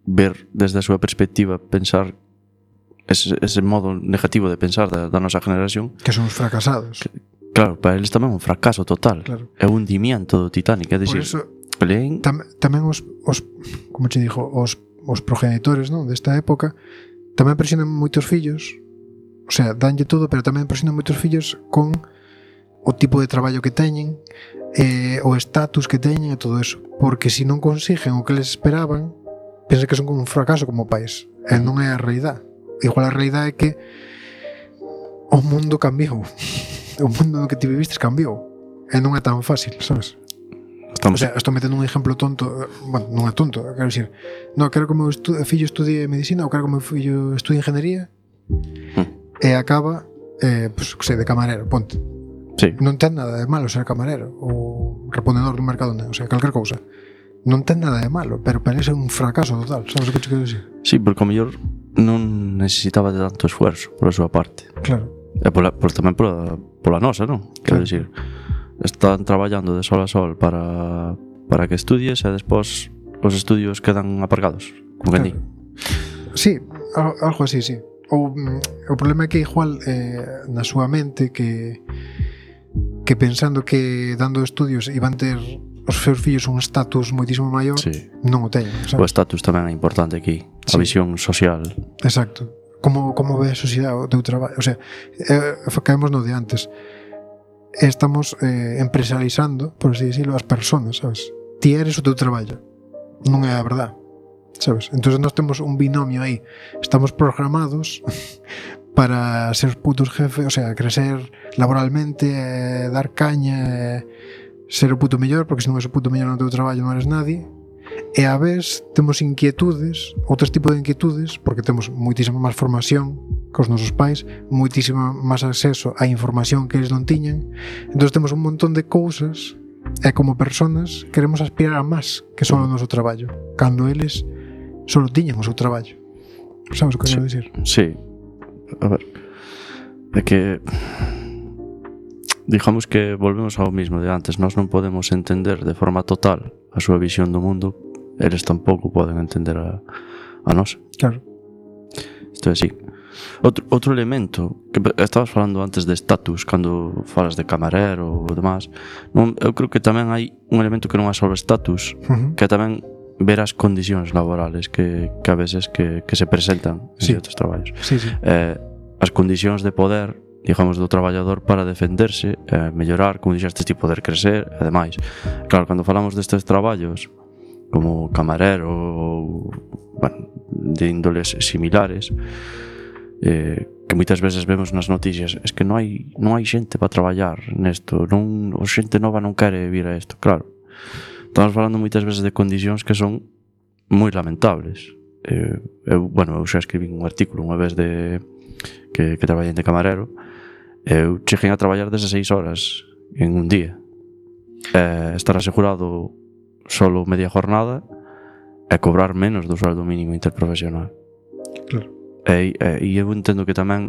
ver desde a súa perspectiva, pensar ese, ese modo negativo de pensar da, da nosa generación, que son os fracasados, que, claro, para eles tamén é un fracaso total, claro. É un hundimiento do Titanic, é dicir, por eso, leen... tam, tamén os, os como te dijo, os, os progenitores, non, desta época tamén presionan moitos fillos, o sea, danlle todo, pero tamén presionan moitos fillos con o tipo de traballo que teñen, eh, o estatus que teñen e todo eso, porque se non consiguen o que les esperaban, pensa que son como un fracaso como pais, e non é a realidade. Igual a realidade é que o mundo cambiou, o mundo no que ti vivistes cambiou, e non é tan fácil, sabes? Estamos... O sea, estou metendo un exemplo tonto, bueno, non é tonto, quero dicir, non, quero que o meu estu... fillo estudie medicina ou quero que o meu fillo estudie ingeniería mm. e acaba, eh, pues, que sei, de camarero, ponte. Sí. Non ten nada de malo ser camarero ou reponedor dun mercado, o sea, calquer cousa. Non ten nada de malo, pero parece un fracaso total, sabes o que te quero dicir? Sí, porque o mellor non necesitaba de tanto esfuerzo pola súa parte. Claro. E pola, por, tamén pola, pola nosa, non? Quero claro. dicir, están traballando de sol a sol para, para que estudies e despois os estudios quedan aparcados, como que Claro. Sí, al- algo así, sí. O, o problema é que igual eh, na súa mente que que pensando que dando estudios iban ter os seus fillos un estatus moitísimo maior, Sí. non o teñen, O sabes? estatus tamén é importante aquí, a Sí. visión social. Exacto. Como, como ve a sociedade o teu traballo? O sea, eh, caemos no de antes. Estamos eh, empresarializando, por así decirlo, as persoas, sabes? Ti eres o teu traballo. Non é a verdade, sabes? Entón nós temos un binomio aí. Estamos programados para ser putos jefes, o sea, crecer laboralmente, eh, dar caña, eh, ser o puto mellor, porque se non és o puto mellor no teu traballo non eres nadie. E a vez temos inquietudes, outros tipos de inquietudes, porque temos moitísima máis formación que os nosos pais, moitísima máis acceso á información que eles non tiñan. Entón temos un montón de cousas e como personas queremos aspirar a máis que só o noso traballo, cando eles só tiñan o seu traballo. Sabes o que Sí. quero dicir? Sí. A ver. É que digamos que volvemos ao mismo de antes. Nós non podemos entender de forma total a súa visión do mundo. Eles tampouco poden entender a, a nosa. Claro. Isto é así. Outro, outro elemento que estabas falando antes de status, cando falas de camarero ou demás, non, eu creo que tamén hai un elemento que non é só o status, Uh -huh. que é tamén ver as condicións laborales que, que a veces que, que se presentan en Sí. certos traballos. Sí, sí. Eh, as condicións de poder, digamos, do traballador para defenderse, eh, mellorar, como dixeste, tipo, poder crecer e demais. Claro, cando falamos destes traballos como camarero ou, bueno, de índoles similares, eh, que moitas veces vemos nas noticias, es que non hai non hai xente para traballar nesto, non, o xente nova non quere vir a isto. Claro, estamos falando moitas veces de condicións que son moi lamentables. Eh, eu, bueno, eu xa escribí un artículo unha vez de que, que traballei de camarero. Eu cheguei a traballar dezasseis horas en un día, eh, estar asegurado solo media jornada e cobrar menos do sueldo mínimo interprofesional. Claro. E, e, e eu entendo que tamén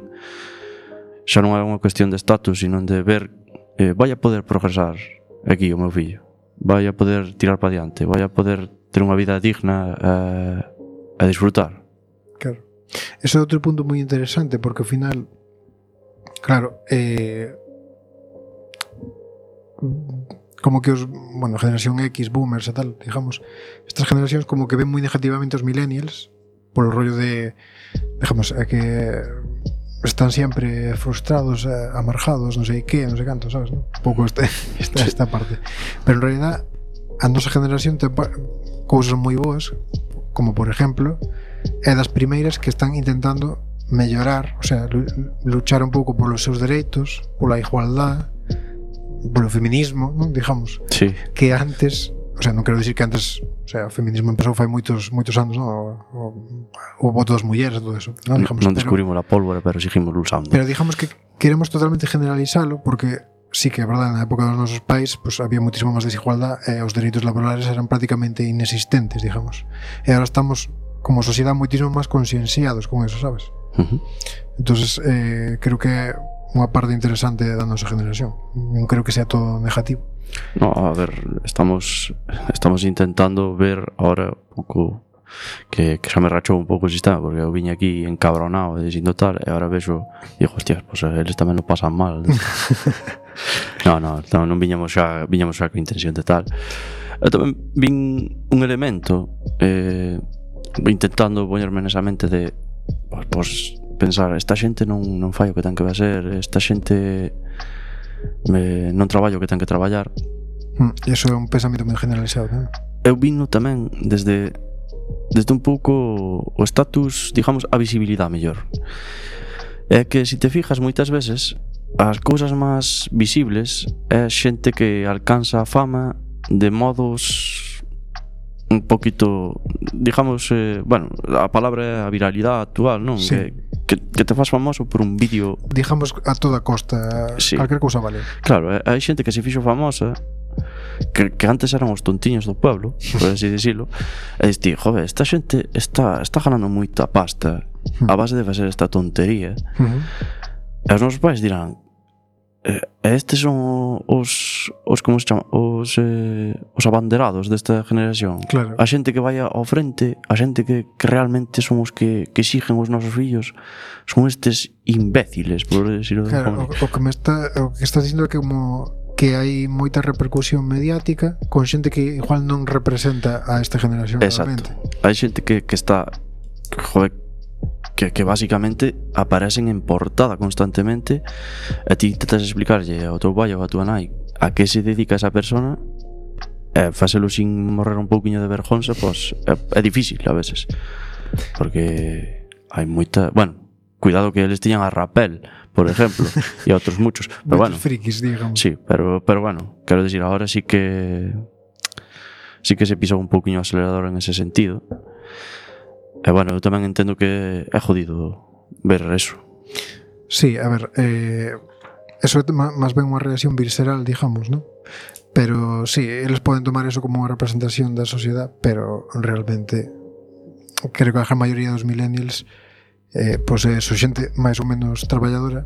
xa non é unha cuestión de status, sino de ver, eh, vai a poder progresar aquí o meu fillo, vai a poder tirar para diante, vai a poder ter unha vida digna eh, e disfrutar. Claro. Ese é outro punto moi interesante, porque ao final, claro, eh, como que os, bueno, generación X, boomers e tal, digamos, estas generacións como que ven moi negativamente os millennials polo rollo de, digamos, é que están sempre frustrados, amargados, non sei que, non sei canto, sabes, non? Un pouco esta, esta, esta parte. Pero en realidad a nosa generación ten cousas moi boas, como por exemplo, é das primeiras que están intentando mellorar, o sea, luchar un pouco polos seus dereitos, pola igualdade, polo feminismo, non? Digamos, Sí. que antes, o sea, non quero dicir que antes, o sea, o feminismo empezou fai moitos moitos anos, non? O, o, o voto das mulleres e todo eso, non? Digamos, Non pero- descubrimos a pólvora, pero seguimos usando. Pero digamos que queremos totalmente generalizalo porque sí que é verdade, na época dos nosos pais pues, había muitísimo máis desigualdad e os dereitos laborales eran prácticamente inexistentes, digamos. E agora estamos como sociedade moitísimo máis concienciados con eso, sabes? Uh-huh. Entonces, eh, creo que é unha parte interesante da nosa generación. Non creo que sea todo negativo. No, a ver, estamos estamos intentando ver ahora un pouco que, que xa me rachou un pouco o sistema, porque eu viña aquí encabronado e dicindo tal, e agora vexo, digo, hostias, pues eles tamén lo pasan mal. No, no, no, non viñamos xa, viñamos xa con intención de tal. Eu tamén vin un elemento eh, intentando poñerme nesa mente de pues, pues pensar, esta xente non, non fai o que ten que ser, esta xente me, non traballa o que ten que traballar. Mm, E iso é un pensamento moi generalizado, non? Eu vino tamén desde desde un pouco o status, digamos, a visibilidade mellor. É que se te fijas moitas veces as cousas máis visibles é xente que alcanza a fama de modos un poquito, digamos, eh, bueno, a palabra é a viralidade actual, non? Sí. Que, que, que te faz famoso por un vídeo. Digamos a toda costa, Sí. calquer cousa vale. Claro, eh, hai xente que se fixo famosa que, que antes eran os tontiños do pueblo, por así decirlo, e diste, joder, esta xente está, está ganando moita pasta a base de facer esta tontería. Uh -huh. E os nosos pais dirán, eh, estes son os os como se chama, os eh, os abanderados desta generación. Claro. A xente que vai ao frente, a xente que, que realmente son os que, que exigen os nosos fillos, son estes imbéciles, por decirlo de Claro, alguma o, o que me está o que estás dicindo é que como que hai moita repercusión mediática con xente que igual non representa a esta generación. Exacto. Realmente. Hai xente que, que está joder, que, que basicamente aparecen en portada constantemente e ti intentas explicarlle ao teu pai ou a tua nai a que se dedica esa persona e facelo sin morrer un pouquiño de vergonza, pois é, é difícil a veces porque hai moita, bueno, cuidado que eles tiñan a Rapel, por ejemplo, e outros muchos, pero bueno, frikis, digamos. sí, pero, pero bueno, quero decir, ahora sí que sí que se pisou un pouquiño o acelerador en ese sentido. E bueno, eu tamén entendo que é jodido ver eso. Sí, a ver, eh, eso é máis ben unha reacción visceral, digamos, ¿no? Pero sí, eles poden tomar eso como unha representación da sociedade, pero realmente creo que a gran maioría dos millennials eh, pois é so xente máis ou menos traballadora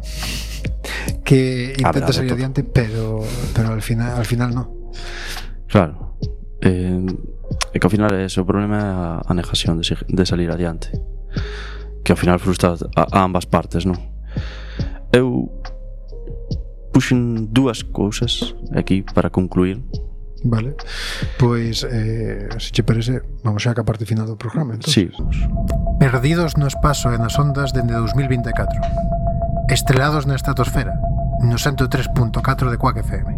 que intenta salir adiante, pero pero al final al final no. Claro. Eh, é que ao final é ese o problema, é a, a negación de, de salir adiante, que ao final frustra a, a ambas partes, non? Eu puxen dúas cousas aquí para concluir. Vale, pois eh, se che parece, vamos xa que a parte final do programa, entón. Sí. Perdidos no espazo e nas ondas dende dos mil vinte e catro, estrelados na estratosfera no ciento tres punto catro de Quack F M.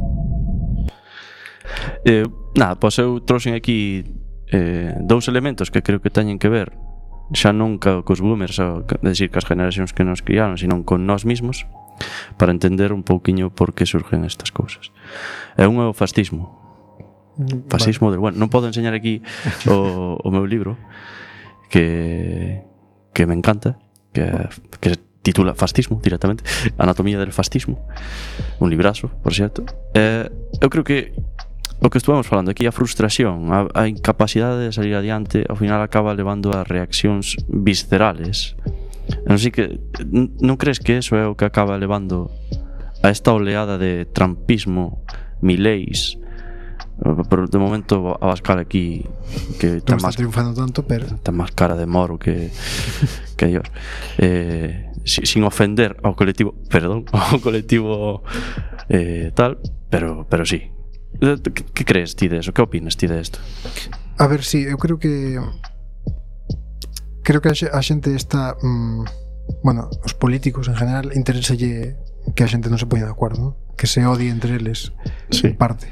Eh, nada, pois eu trouxen aquí eh, dous elementos que creo que teñen que ver xa non ca, cos boomers, ou, é dicir, cas generacións que nos criaron, sino con nós mismos, para entender un pouquiño por que surgen estas cousas. É un é o fascismo. Fascismo vale. del bueno. Non podo enseñar aquí o, o meu libro que, que me encanta, que, que se titula Fascismo, directamente, Anatomía del fascismo, un librazo, por certo. Eh, eu creo que o que estuvemos falando aquí, a frustración, a, a incapacidade de salir adiante, ao final acaba levando a reaccións viscerales. Non sei que non crees que eso é o que acaba levando a esta oleada de trumpismo, mileis, pero de momento Abascal aquí que non está triunfando tanto, pero ten máis cara de moro que que Dios. Eh, sin ofender ao colectivo, perdón, ao colectivo eh, tal, pero pero sí. Que crees ti de eso? Que opinas ti de esto? A ver, sí, eu creo que creo que a xente está mmm, bueno, os políticos en general interéselle que a xente non se poña de acordo, ¿no? Que se odie entre eles, sí. En parte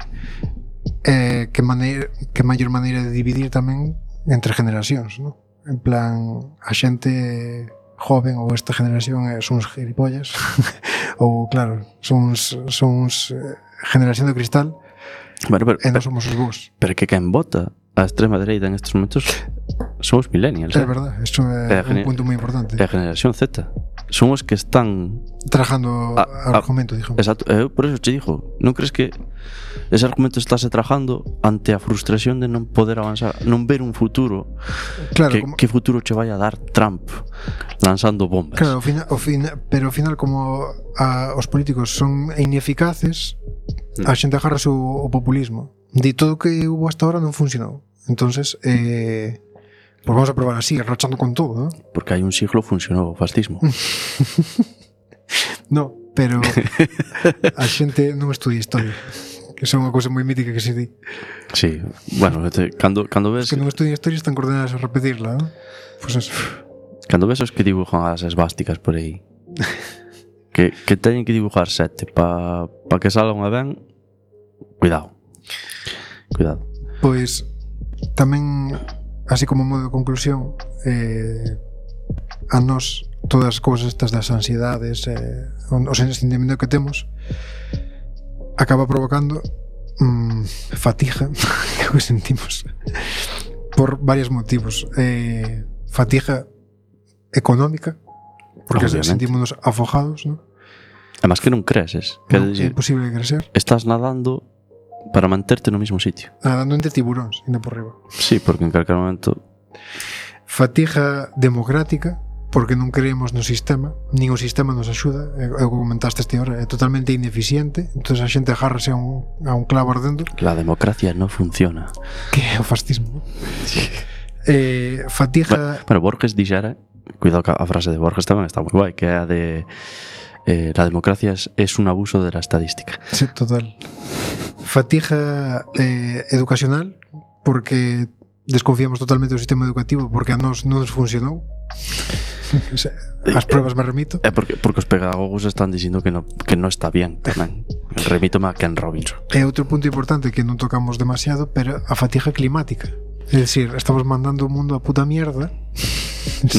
eh, que, maneira, que maior maneira de dividir tamén entre generacións, ¿no? En plan, a xente joven ou esta generación é, son uns gilipollas ou claro, son uns, son uns eh, generación de cristal. Bueno, pero, e non somos os vos. Pero que quen vota a extrema dereita en estes momentos son os millennials. É eh? verdad, isto é, é un punto moi importante. É a generación Z. Son os que están trabajando a, a, argumento, digamos. Exacto, eu por eso te digo, non crees que ese argumento estáse trabajando ante a frustración de non poder avanzar, non ver un futuro? Claro, que, como... que futuro che vai a dar Trump lanzando bombas? Claro, ao final, ao final, pero ao final como a, os políticos son ineficaces, a xente agarra o, o populismo. De todo o que hubo hasta ahora non funcionou. Entonces, eh, pues vamos a probar así, rachando con todo, ¿no? Porque hai un siglo funcionou o fascismo. No, pero a xente non estudia historia, que é unha cousa moi mítica que se di. Sí, bueno, te, cando, cando ves... que non estudia historia están coordenadas a repetirla, ¿no? Pues eso. Cando ves os que dibujan as esvásticas por aí, que, que teñen que dibujar sete para pa que salga unha ben, cuidado. Cuidado. Pois tamén, así como modo de conclusión, eh, a nós todas as cousas estas das ansiedades, eh, o sentimiento que temos acaba provocando mmm, fatiga que sentimos por varios motivos. Eh, fatiga económica, porque sentímonos afogados, ¿no? Además que non creces, que no, decir, é imposible crecer. Estás nadando para manterte no mismo sitio. Nadando entre tiburóns, indo por riba. Sí, porque en calquer momento... Fatiga democrática, porque non creemos no sistema, nin o sistema nos axuda, é o que comentaste este hora, é totalmente ineficiente, entón a xente agárrase a un, a un clavo ardendo. La democracia no funciona. Que é o fascismo. eh, fatiga... Bueno, bueno, Borges dixera, cuidado que a frase de Borges tamén está moi guai, que é a de eh, la democracia es, es un abuso de la estadística. Sí, total. Fatiga eh, educacional, porque desconfiamos totalmente do sistema educativo, porque a nós non nos funcionou. As pruebas me remito. É porque, porque os pedagogos están dicindo que no, que no está bien tamén. Remítome a Ken Robinson. É outro punto importante que non tocamos demasiado, pero a fatiga climática. É dicir, estamos mandando o mundo a puta mierda.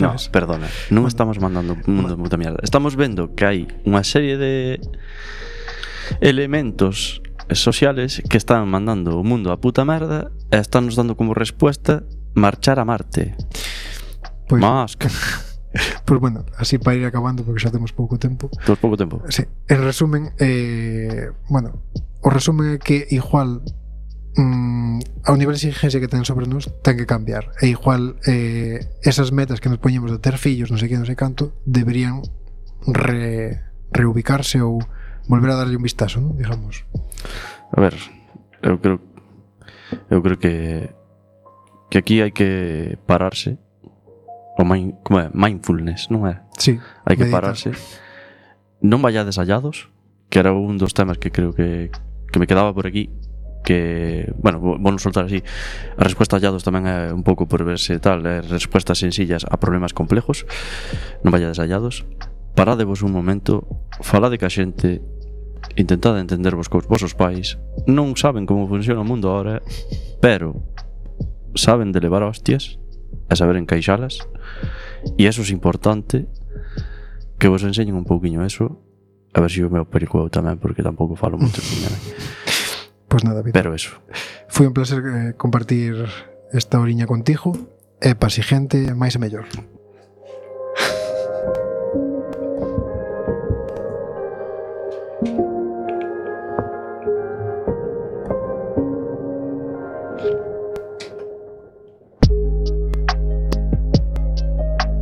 No, perdona, non estamos mandando o mundo a puta mierda. Estamos vendo que hai unha serie de elementos sociales que están mandando o mundo a puta merda e están nos dando como respuesta marchar a Marte. Pois, Musk. Pois bueno, así para ir acabando, porque xa temos pouco tempo. Temos pouco tempo. Sí, en resumen, eh, bueno, o resumen é que igual mm, ao nivel de exigencia que ten sobre nós ten que cambiar, e igual eh, esas metas que nos poñemos de ter fillos, non sei que, non sei canto, deberían re, reubicarse ou volver a darlle un vistazo, ¿no? Digamos. A ver, eu creo eu creo que que aquí hai que pararse. O mind, como é? Mindfulness, non é? Sí. Hai que meditar. pararse. Non vayades hallados, que era un dos temas que creo que, que me quedaba por aquí, que, bueno, vou non soltar así. A resposta hallados tamén é un pouco por verse tal, é respostas sencillas a problemas complejos. Non vayades hallados. Paradevos un momento, falade ca xente, intentade entendervos cos vosos pais. Non saben como funciona o mundo ahora, pero saben de levar hostias a saber encaixalas, e eso é importante, que vos enseñen un pouquiño eso, a ver se si o meu pericueu tamén, porque tampouco falo moito de mí. Pois nada, Víctor. Pero eso. Foi un placer eh, compartir esta horiña contigo, e pa si gente máis e mellor.